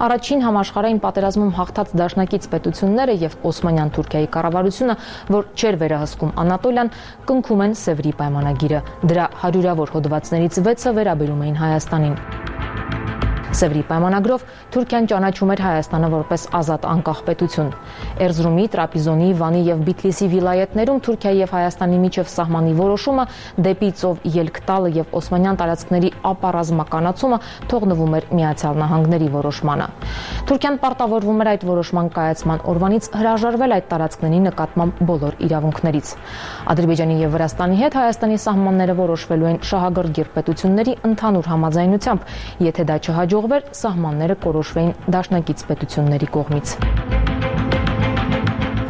առաջին համաշխարհային պատերազմում հաղթած դաշնակից պետությունները եւ Օսմանյան Թուրքիայի կառավարությունը, որ չէր վերահսկում Անատոլիան, կնքում են Սևրի պայմանագիրը։ Դրա հարյուրավոր հոդվածներից վեցը վերաբերում էին Հայաստանին։ Սևրի պայմանագրով Թուրքիան ճանաչում էր Հայաստանը որպես ազատ անկախ պետություն։ Էրզրումի, Տրապիզոնի, Վանի եւ Բիթլիսի վիլայեթներում Թուրքիայի եւ Հայաստանի միջև սահմանի որոշումը դեպի ծով ելք տալը եւ օսմանյան տարածքների ապառազմականացումը թողնվում էր Միացյալ Նահանգների որոշմանը։ Թուրքիան պարտավորվում էր այդ որոշման կայացման օրվանից հրաժարվել այդ տարածքների նկատմամբ բոլոր իրավունքներից։ Ադրբեջանի եւ Վրաստանի հետ Հայաստանի սահմանները որոշվելու են շահագրգիռ պետությունների ընդհանուր համաձայնությամբ, եթե դա չհաջող սահմանները կորոշվեին դաշնակից պետությունների կողմից։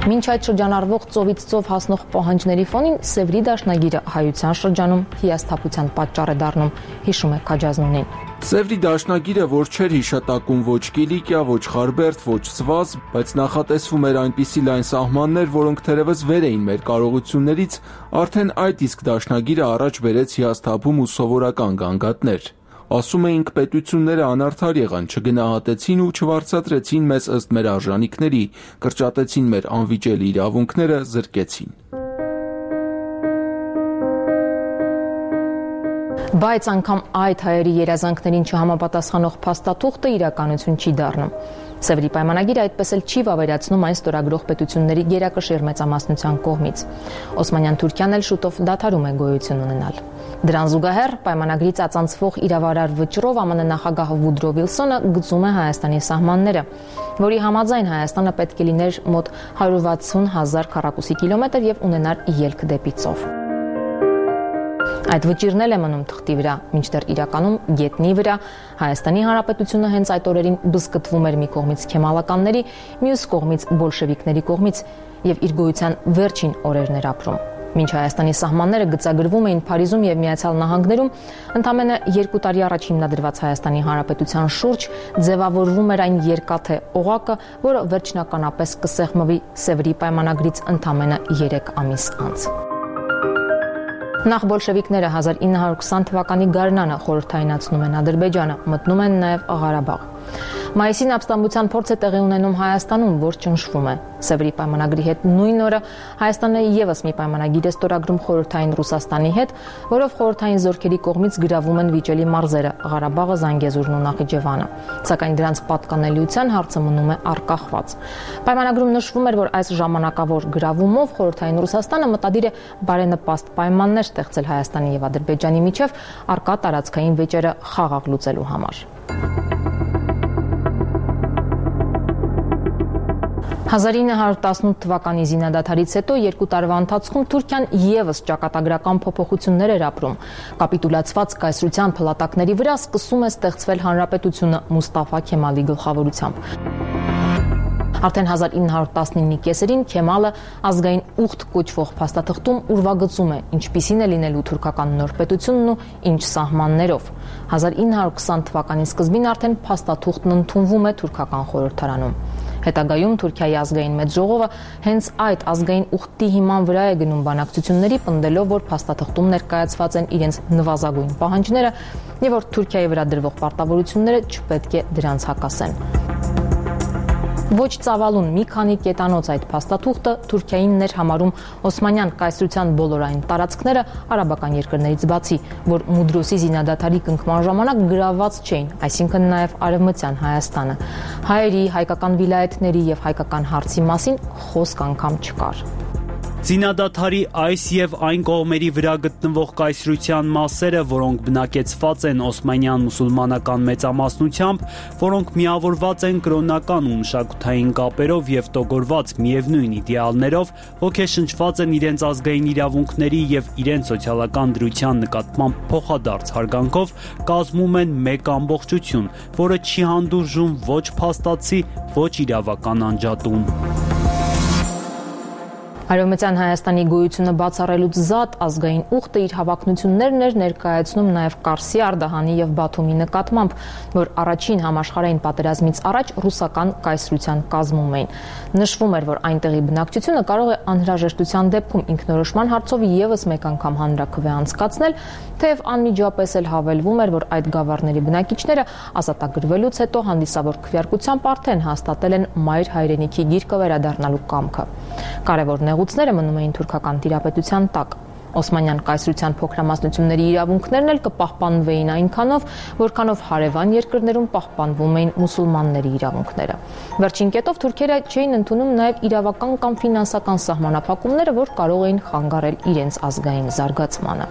Մինչ այդ շրջանառվող ծովից ծով հասնող պահանջների ֆոնին Սևրի դաշնագիրը հայության շրջանում հիասթափության պատճառ է դառնում, հիշում է Քաջազնունին։
Սևրի դաշնագիրը, որ չէր հիշատակում ոչ Կիլիկիա, ոչ Խարբերդ, ոչ Սվազ, բայց նախատեսվում էր այնպիսի լայն սահմաններ, որոնք թերևս վեր էին մեր կարողություններից, արդեն այդ իսկ դաշնագիրը առաջ բերեց հիասթափում ու սովորական գանգատներ։ Ասում էինք պետությունները անարդար եղան, չգնահատեցին ու չվարձատրեցին մեզ ըստ մեր արժանիքների, կրճատեցին մեր անվիճելի իրավունքները, զրկեցին։
Բայց անգամ այդ հայերի երազանքներին չհամապատասխանող փաստաթուղթը իրականություն չի դառնում։ Սևրի պայմանագիրը այդպես էլ չի վավերացնում այն ստորագրող պետությունների գերակշիռ մեծամասնության կողմից։ Օսմանյան Թուրքիան էլ շուտով դադարում է գոյություն ունենալ։ Դրան զուգահեռ պայմանագրի ծածանցվող իրավարար վճռով ԱՄՆ նախագահ Վուդրո Վիլսոնը գծում է Հայաստանի սահմանները, որի համաձայն Հայաստանը պետք է լիներ մոտ հարյուր վաթսուն հազար քառակուսի կիլոմետր եւ ունենար ելք դեպի ծով։ Այդ վճիրն էլ է մնում թղթի վրա, մինչդեռ իրականում գետնի վրա Հայաստանի Հանրապետությունը հենց այդ օրերին բզկտվում էր մի կողմից քեմալականների, մյուս կողմից բոլշևիկների կողմից եւ իր գոյության վերջին օրերն էր ապրում։ Մինչ Հայաստանի սահմանները գծագրվում էին Փարիզում եւ Միացյալ Նահանգներում, ընդամենը երկու տարի առաջ հիմնադրված Հայաստանի Հանրապետության շուրջ ձևավորվում էր այն երկաթե օղակը, որը վերջնականապես կսեղմվի Սևրի պայմանագրից ընդամենը երեք ամիս անց։ Նախ բոլշևիկները հազար ինը հարյուր քսան թվականի գարնանը խորհրդայնացնում են Ադրբեջանը, մտնում են նաև Ղարաբաղ։ Մայիսին ապստամբության փորձ է տեղի ունենում Հայաստանում, որ ճնշվում է։ Սևրի պայմանագրի հետ նույն օրը Հայաստանը եւս մի պայմանագիր է ստորագրում խորհրդային Ռուսաստանի հետ, որով խորհրդային զորքերի կողմից գրավում են վիճելի մարզերը Ղարաբաղը, Զանգեզուրն ու Նախիջևանը։ Սակայն դրանց պատկանելիության հարցը մնում է առկախված։ Պայմանագրում նշվում էր, որ այս ժամանակավոր գրավումով խորհրդային Ռուսաստանը մտադիր է բարենպաստ պայմաններ ստեղծել Հայաստանի եւ Ադրբեջանի միջև առկա տարածքային վեճերը խաղաղ լուծելու համար։ հազար ինը հարյուր տասնութ թվականի զինադադարից հետո երկու տարվա ընթացքում Թուրքիան եւս ճակատագրական փոփոխություններ էր ապրում։ Կապիտուլացված կայսրության փլատակների վրա սկսում է ստեղծվել հանրապետությունը Մուստաֆա Քեմալի գլխավորությամբ։ Արդեն հազար ինը հարյուր տասնինի կեսերին Քեմալը ազգային ուխտ կոչվող փաստաթղթում ուրվագծում է, ինչպիսին է լինելու թուրքական նոր պետությունն ու ինչ սահմաններով։ հազար ինը հարյուր քսան թվականի սկզբին արդեն փաստաթուղթն ընդունվում է թուրքական խորհրդարանում։ Հետագայում Թուրքիայի ազգային մեծ ժողովը հենց այդ ազգային ուխտի հիման վրա է գնում բանակցությունների, պնդելով, որ փաստաթղթում ներկայացված են իրենց նվազագույն պահանջները եւ որ Թուրքիայի վրա դրվող պարտավորությունները չպետք է դրանց հակասեն։ Ոչ ծավալուն մի քանի կետանոց այդ փաստաթուղթը Թուրքիային ներհամարում Օսմանյան կայսրության բոլոր այն տարածքները արաբական երկրներից բացի, որ Մուդրոսի զինադադարի կնքման ժամանակ գրաված չէին, այսինքն նաև արևմտյան Հայաստանը։ Հայերի, հայկական վիլայեթների եւ հայկական հարցի մասին խոսք անգամ չկար։
Զինադադարի այս եւ այն կողմերի վրա գտնվող կայսրության մասերը, որոնք բնակեցված են օսմանյան մուսուլմանական մեծամասնությամբ, որոնք միավորված են կրոնական ու մշակութային կապերով եւ տոգորված միևնույն իդեալներով, ոգեշնչված են իրենց ազգային իրավունքների եւ իրենց սոցիալական դրության նկատմամբ փոխադարձ հարգանքով, կազմում են մեկ ամբողջություն, որը չի հանդուրժում ոչ փաստացի, ոչ իրավական անջատում։
Արևմտյան Հայաստանի գոյությունը բացառելուց զատ ազգային ուխտը իր հավակնություններն էր ներկայացնում նաև Կարսի, Արդահանի եւ Բաթումի նկատմամբ, որ առաջին համաշխարհային պատերազմից առաջ ռուսական կայսրության կազմում էին։ Նշվում էր, որ այնտեղի բնակչությունը կարող է անհրաժեշտության դեպքում ինքնորոշման հարցով եւս մեկ անգամ հանրաքվե անցկացնել, թեև անմիջապես էլ հավելվում էր, որ այդ գավառների բնակիչները ազատագրվելուց հետո հանդիսավոր քվեարկությամբ արդեն հաստատել են մայր հայրենիքի գիրկը վերադառնալու կամքը։ Կարևոր նեղուցները մնում էին թուրքական տիրապետության տակ։ Օսմանյան կայսրության փոքրամասնությունների իրավունքներն էլ կպահպանվեին այնքանով, որքանով հարևան երկրներում պահպանվում էին մուսուլմանների իրավունքները։ Վերջին կետով թուրքերը չէին ընդունում նաև իրավական կամ ֆինանսական սահմանափակումները, որ կարող էին խանգարել իրենց ազգային զարգացմանը։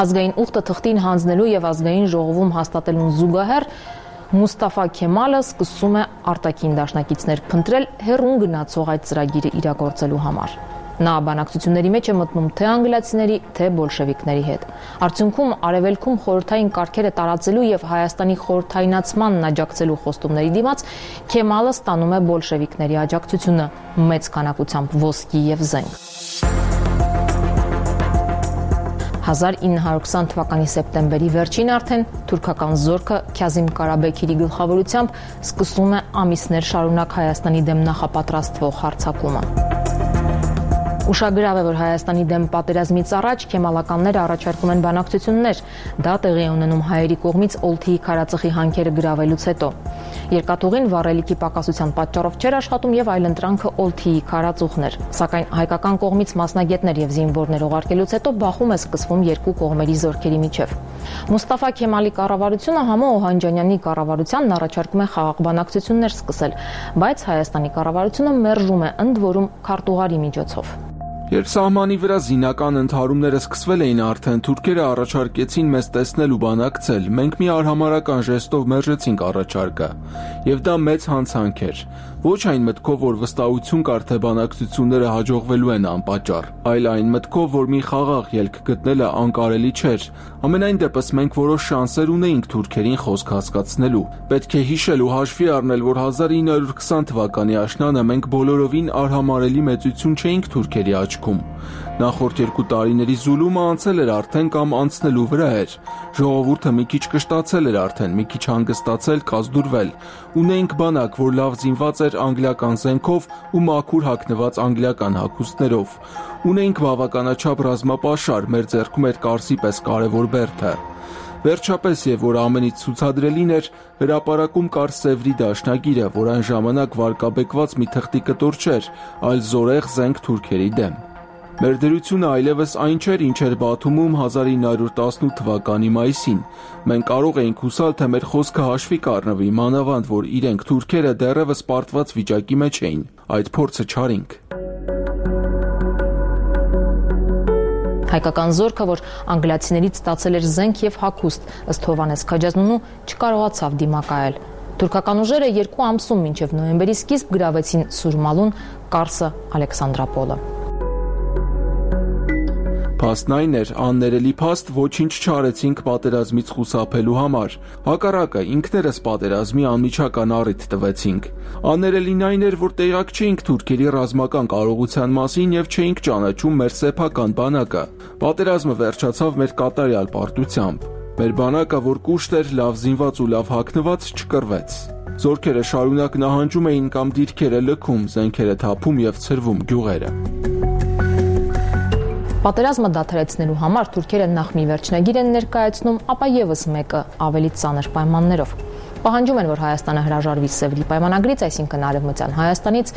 Ազգային ուխտը թղթին հանձնելու եւ ազգային ժողովում հաստատելուն զուգահեռ Մուստաֆա Քեմալը սկսում է արտաքին դաշնակիցներ փնտրել հեռուն գնացող այդ ծրագիրը իրագործելու համար։ Նա բանակցությունների մեջ է մտնում թե անգլիացիների, թե բոլշևիկների հետ։ Արդյունքում արևելքում խորհրդային կարգերը տարածելու եւ Հայաստանի խորհրդայնացմանն աջակցելու խոստումների դիմաց Քեմալը ստանում է բոլշևիկների աջակցությունը մեծ քանակությամբ ոսկի եւ զենք։ հազար ինը հարյուր քսան թվականի սեպտեմբերի վերջին արդեն թուրքական զորքը Քազիմ Կարաբեքիրի գլխավորությամբ սկսում է ամիսներ շարունակ Հայաստանի դեմ նախապատրաստվող հարձակումը։ Ուշագրավ է, որ Հայաստանի դեմ պատերազմից առաջ քեմալականները առաջարկում են բանակցություններ, դա տեղի է ունենում հայերի կողմից Օլթիի քարածխի հանքերը գրավելուց հետո։ Երկաթուղին վառելիքի պակասության պատճառով չէր աշխատում եւ այլընտրանքը Օլթիի քարածուխն էր, սակայն հայկական կողմից մասնագետներ եւ զինվորներ ուղարկելուց հետո բախում է սկսվում երկու կողմերի զորքերի միջև։ Մուստաֆա Քեմալի կառավարությունը Համո Օհանջանյանի կառավարությանն առաջարկում է խաղաղ բանակցություններ սկսել, բայց Հայաստանի կառավարությունը մերժում է ընդ որում քարտուղարի միջոցով։
Երբ սահմանի վրա զինական ընդհարումները սկսվել էին արդեն, թուրքերը առաջարկեցին մեզ տեսնել ու բանակցել, մենք մի արհամարհական ժեստով մերժեցինք առաջարկը, եւ դա մեծ հանցանք էր, ոչ այն մտքով, որ վստահություն կար, թե բանակցությունները հաջողվելու են անպատճառ, այլ այն մտքով, որ մի խաղաղ ելք գտնելը անկարելի չէր, ամենայն դեպս մենք որոշ շանսեր ունեինք թուրքերին խոսք հասկացնելու, պետք է հիշել ու հաշվի առնել, որ հազար ինը հարյուր քսան թվականի աշնանը մենք բոլորովին արհամարհելի մեծություն չէինք թուրքերի աչքում, նախորդ երկու տարիների զուլումը անցել էր արդեն կամ անցնելու վրա էր, ժողովուրդը մի քիչ կշտացել էր արդեն, մի քիչ հանգստացել, կազդուրվել, ունեինք բանակ, որ լավ զինված էր անգլիական զենքով ու մաքուր հագնված անգլիական հագուստներով, ունեինք բավականաչափ ռազմապաշար, մեր ձեռքում էր Կարսի պես կարևոր բերդը, վերջապես եւ որ ամենից ցուցադրելին էր, հրապարակում կար Սևրի դաշնագիրը, որ այն ժամանակ վարկաբեկված մի թղթի կտոր չէր, այլ զորեղ զենք թուրքերի դեմ։ Մեր դրությունը այլևս այն չէր, ինչ էր Բաթումում հազար ինը հարյուր տասնութ թվականի մայիսին։ Մենք կարող էինք հուսալ, թե մեր խոսքը հաշվի կառնվի, մանավանդ որ իրենք թուրքերը դեռևս պարտված վիճակի մեջ էին։ Այդ փորձը չարինք։
Հայկական զորքը, որ անգլիացիներից ստացել էր զենք եւ հագուստ, ըստ Հովհաննես Քաջազնունու, չկարողացավ դիմակայել։ Թուրքական ուժերը երկու ամսում մինչև նոյեմբերի սկիզբ գրավեցին Սուրմալուն, Կարսը, Ալեքսանդրապոլը։
Փաստն այն էր, աններելի փաստ ոչինչ չարեցինք պատերազմից խուսափելու համար, հակառակը ինքներս պատերազմի անմիջական առիթ տվեցինք։ Աներելին այն էր, որ տեղյակ չէինք թուրքերի ռազմական կարողության մասին եւ չէինք ճանաչում մեր սեփական բանակը։ Պատերազմը վերջացավ մեր կատարյալ պարտությամբ։ Մեր բանակը, որ կուշտ էր, լավ զինված ու լավ հագնված, չկռվեց։ Զորքերը շարունակ նահանջում էին կամ դիրքերը լքում, զենքերը թափում եւ ցրվում գյուղերը։
Պատերազմը դադարեցնելու համար թուրքերը նախ մի վերջնագիր են ներկայացնում, ապա եւս մեկը ավելի ծանր պայմաններով։ Պահանջում են, որ Հայաստանը հրաժարվի Սևրի պայմանագրից, այսինքն Արևմտյան Հայաստանից,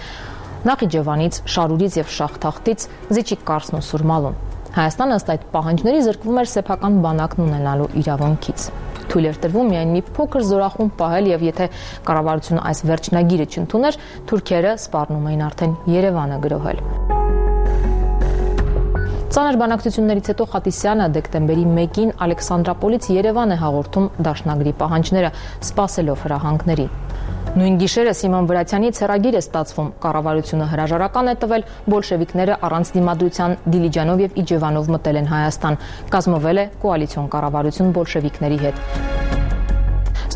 Նախիջևանից, Շարուրից եւ Շախթախտից, զիջի Կարսն ու Սուրմալուն։ Հայաստանը ըստ այդ պահանջների զրկվում էր սեփական բանակն ունենալու իրավունքից։ Թույլ էր տրվում միայն մի փոքր զորախումբ պահել եւ եթե կառավարությունը այս վերջնագիրը չընդուներ, թուրքերը սպառնում էին արդեն Երևանը գրոհել։ Ծանր բանակցություններից հետո Խատիսյանը դեկտեմբերի մեկին Ալեքսանդրապոլից Երևան է հաղորդում դաշնագրի պահանջները, սպասելով հրահանգների։ Նույն գիշերը Սիմոն Վրացյանից հեռագիր է ստացվում, կառավարությունը հրաժարական է տվել, բոլշևիկները առանց դիմադրության Դիլիջանով եւ Իջևանով մտել են Հայաստան, կազմվել է կոալիցիոն կառավարություն բոլշևիկների հետ։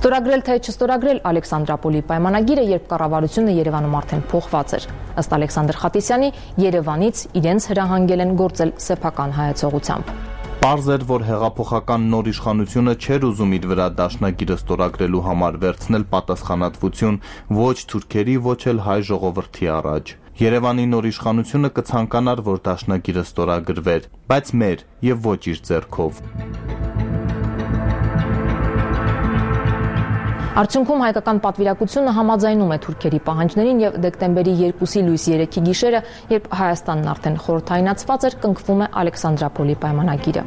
Ստորագրել թե չստորագրել Ալեքսանդրապոլի պայմանագիրը, երբ կառավարությունը Երևանում արդեն փոխված էր։ Ըստ Ալեքսանդր Խատիսյանի, Երևանից իրենց հրահանգել են գործել սեփական հայեցողությամբ։
Պարզ էր, որ հեղափոխական նոր իշխանությունը չէր ուզում իր վրա դաշնագիրը ստորագրելու համար վերցնել պատասխանատվություն ոչ թուրքերի, ոչ էլ հայ ժողովրդի առաջ։ Երևանի նոր իշխանությունը կցանկանար, որ դաշնագիրը ստորագրվեր, բայց մեր եւ ոչ իր ձեռքով։
Արդյունքում հայկական պատվիրակությունը համաձայնում է թուրքերի պահանջներին եւ դեկտեմբերի երկուսի լույս երեքի գիշերը, երբ Հայաստանն արդեն խորհրդայնացված էր, կնքվում է Ալեքսանդրապոլի պայմանագիրը։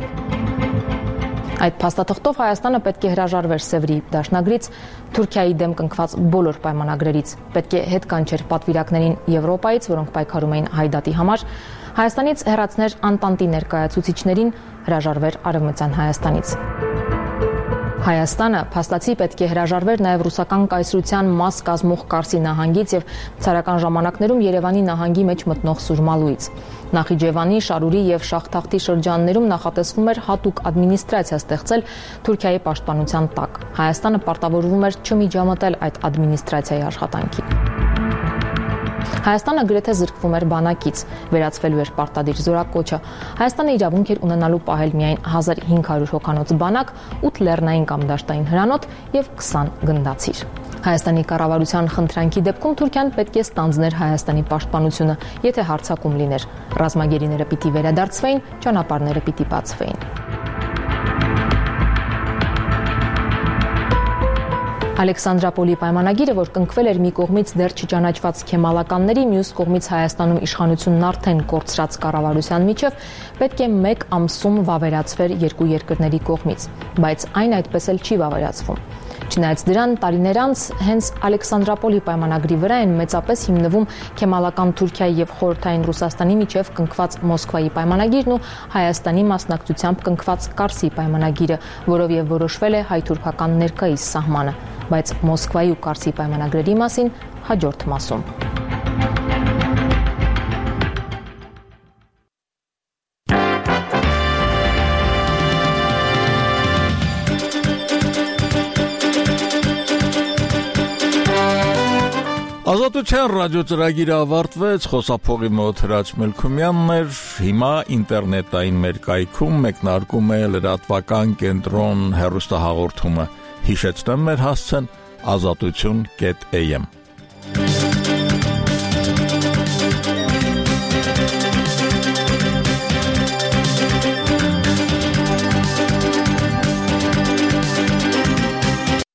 Այդ փաստաթղթով Հայաստանը պետք է հրաժարվեր Սևրի դաշնագրից, Թուրքիայի դեմ կնքված բոլոր պայմանագրերից, պետք է հետ կանչեր պատվիրակներին Եվրոպայից, որոնք պայքարում էին Հայդատի համար, Հայաստանից հեռացներ Անտանտի ներկայացուցիչներին, հրաժարվեր Արևմտյան Հայաստանից։ Հայաստանը փաստացի պետք է հրաժարվեր նաև ռուսական կայսրության մաս կազմող Կարսի նահանգից եւ ցարական ժամանակներում Երևանի նահանգի մեջ մտնող Սուրմալուից։ Նախիջևանի, Շարուրի եւ Շախթախտի շրջաններում նախատեսվում էր հատուկ ադմինիստրացիա ստեղծել Թուրքիայի պաշտպանության տակ։ Հայաստանը պարտավորվում էր չմիջամտել այդ ադմինիստրացիայի աշխատանքին։ Հայաստանը գրեթե զրկվում էր բանակից, վերածվելու էր պարտադիր զորակոչը։ Հայաստանը իրավունք էր ունենալու պահել միայն հազար հինգ հարյուր հոգանոց բանակ, ութ լեռնային կամ դաշտային հրանոթ եւ քսան գնդացիր։ Հայաստանի կառավարության խնդրանքի դեպքում Թուրքիան պետք է ստանձներ Հայաստանի պաշտպանությունը, եթե հարձակում լիներ։ Ռազմագերիները պիտի վերադարձվեին, ճանապարհները պիտի բացվեին։ Ալեքսանդրապոլի պայմանագիրը, որ կնքվել էր մի կողմից դեռ չճանաչված քեմալականների, մյուս կողմից Հայաստանում իշխանությունն արդեն կորցրած կառավարության միջև, պետք է մեկ ամսում վավերացվեր երկու երկրների կողմից, բայց այն այդպես էլ չի վավերացվում։ Չնայած դրան տարիներ անց հենց Ալեքսանդրապոլի պայմանագրի վրա են մեծապես հիմնվում քեմալական Թուրքիայի եւ խորհրդային Ռուսաստանի միջև կնքված Մոսկվայի պայմանագիրն ու Հայաստանի մասնակցությամբ կնքված Կարսի պայմանագիրը, որով եւ որոշվել է հայ-թուրքական ներկայիս սահմանը, բայց Մոսկվայի ու Կարսի պայմանագրերի մասին հաջորդ մասում։
Ազատության ռադիոծրագիրը ավարտվեց, խոսափողի մոտ Հրաչ Մելքումյանն էր, հիմա ինտերնետային մեր կայքում մեկնարկում է լրատվական կենտրոն հեռուստահաղորդումը, հիշեցնեմ մեր հասցեն ազատություն կետ էյ էմ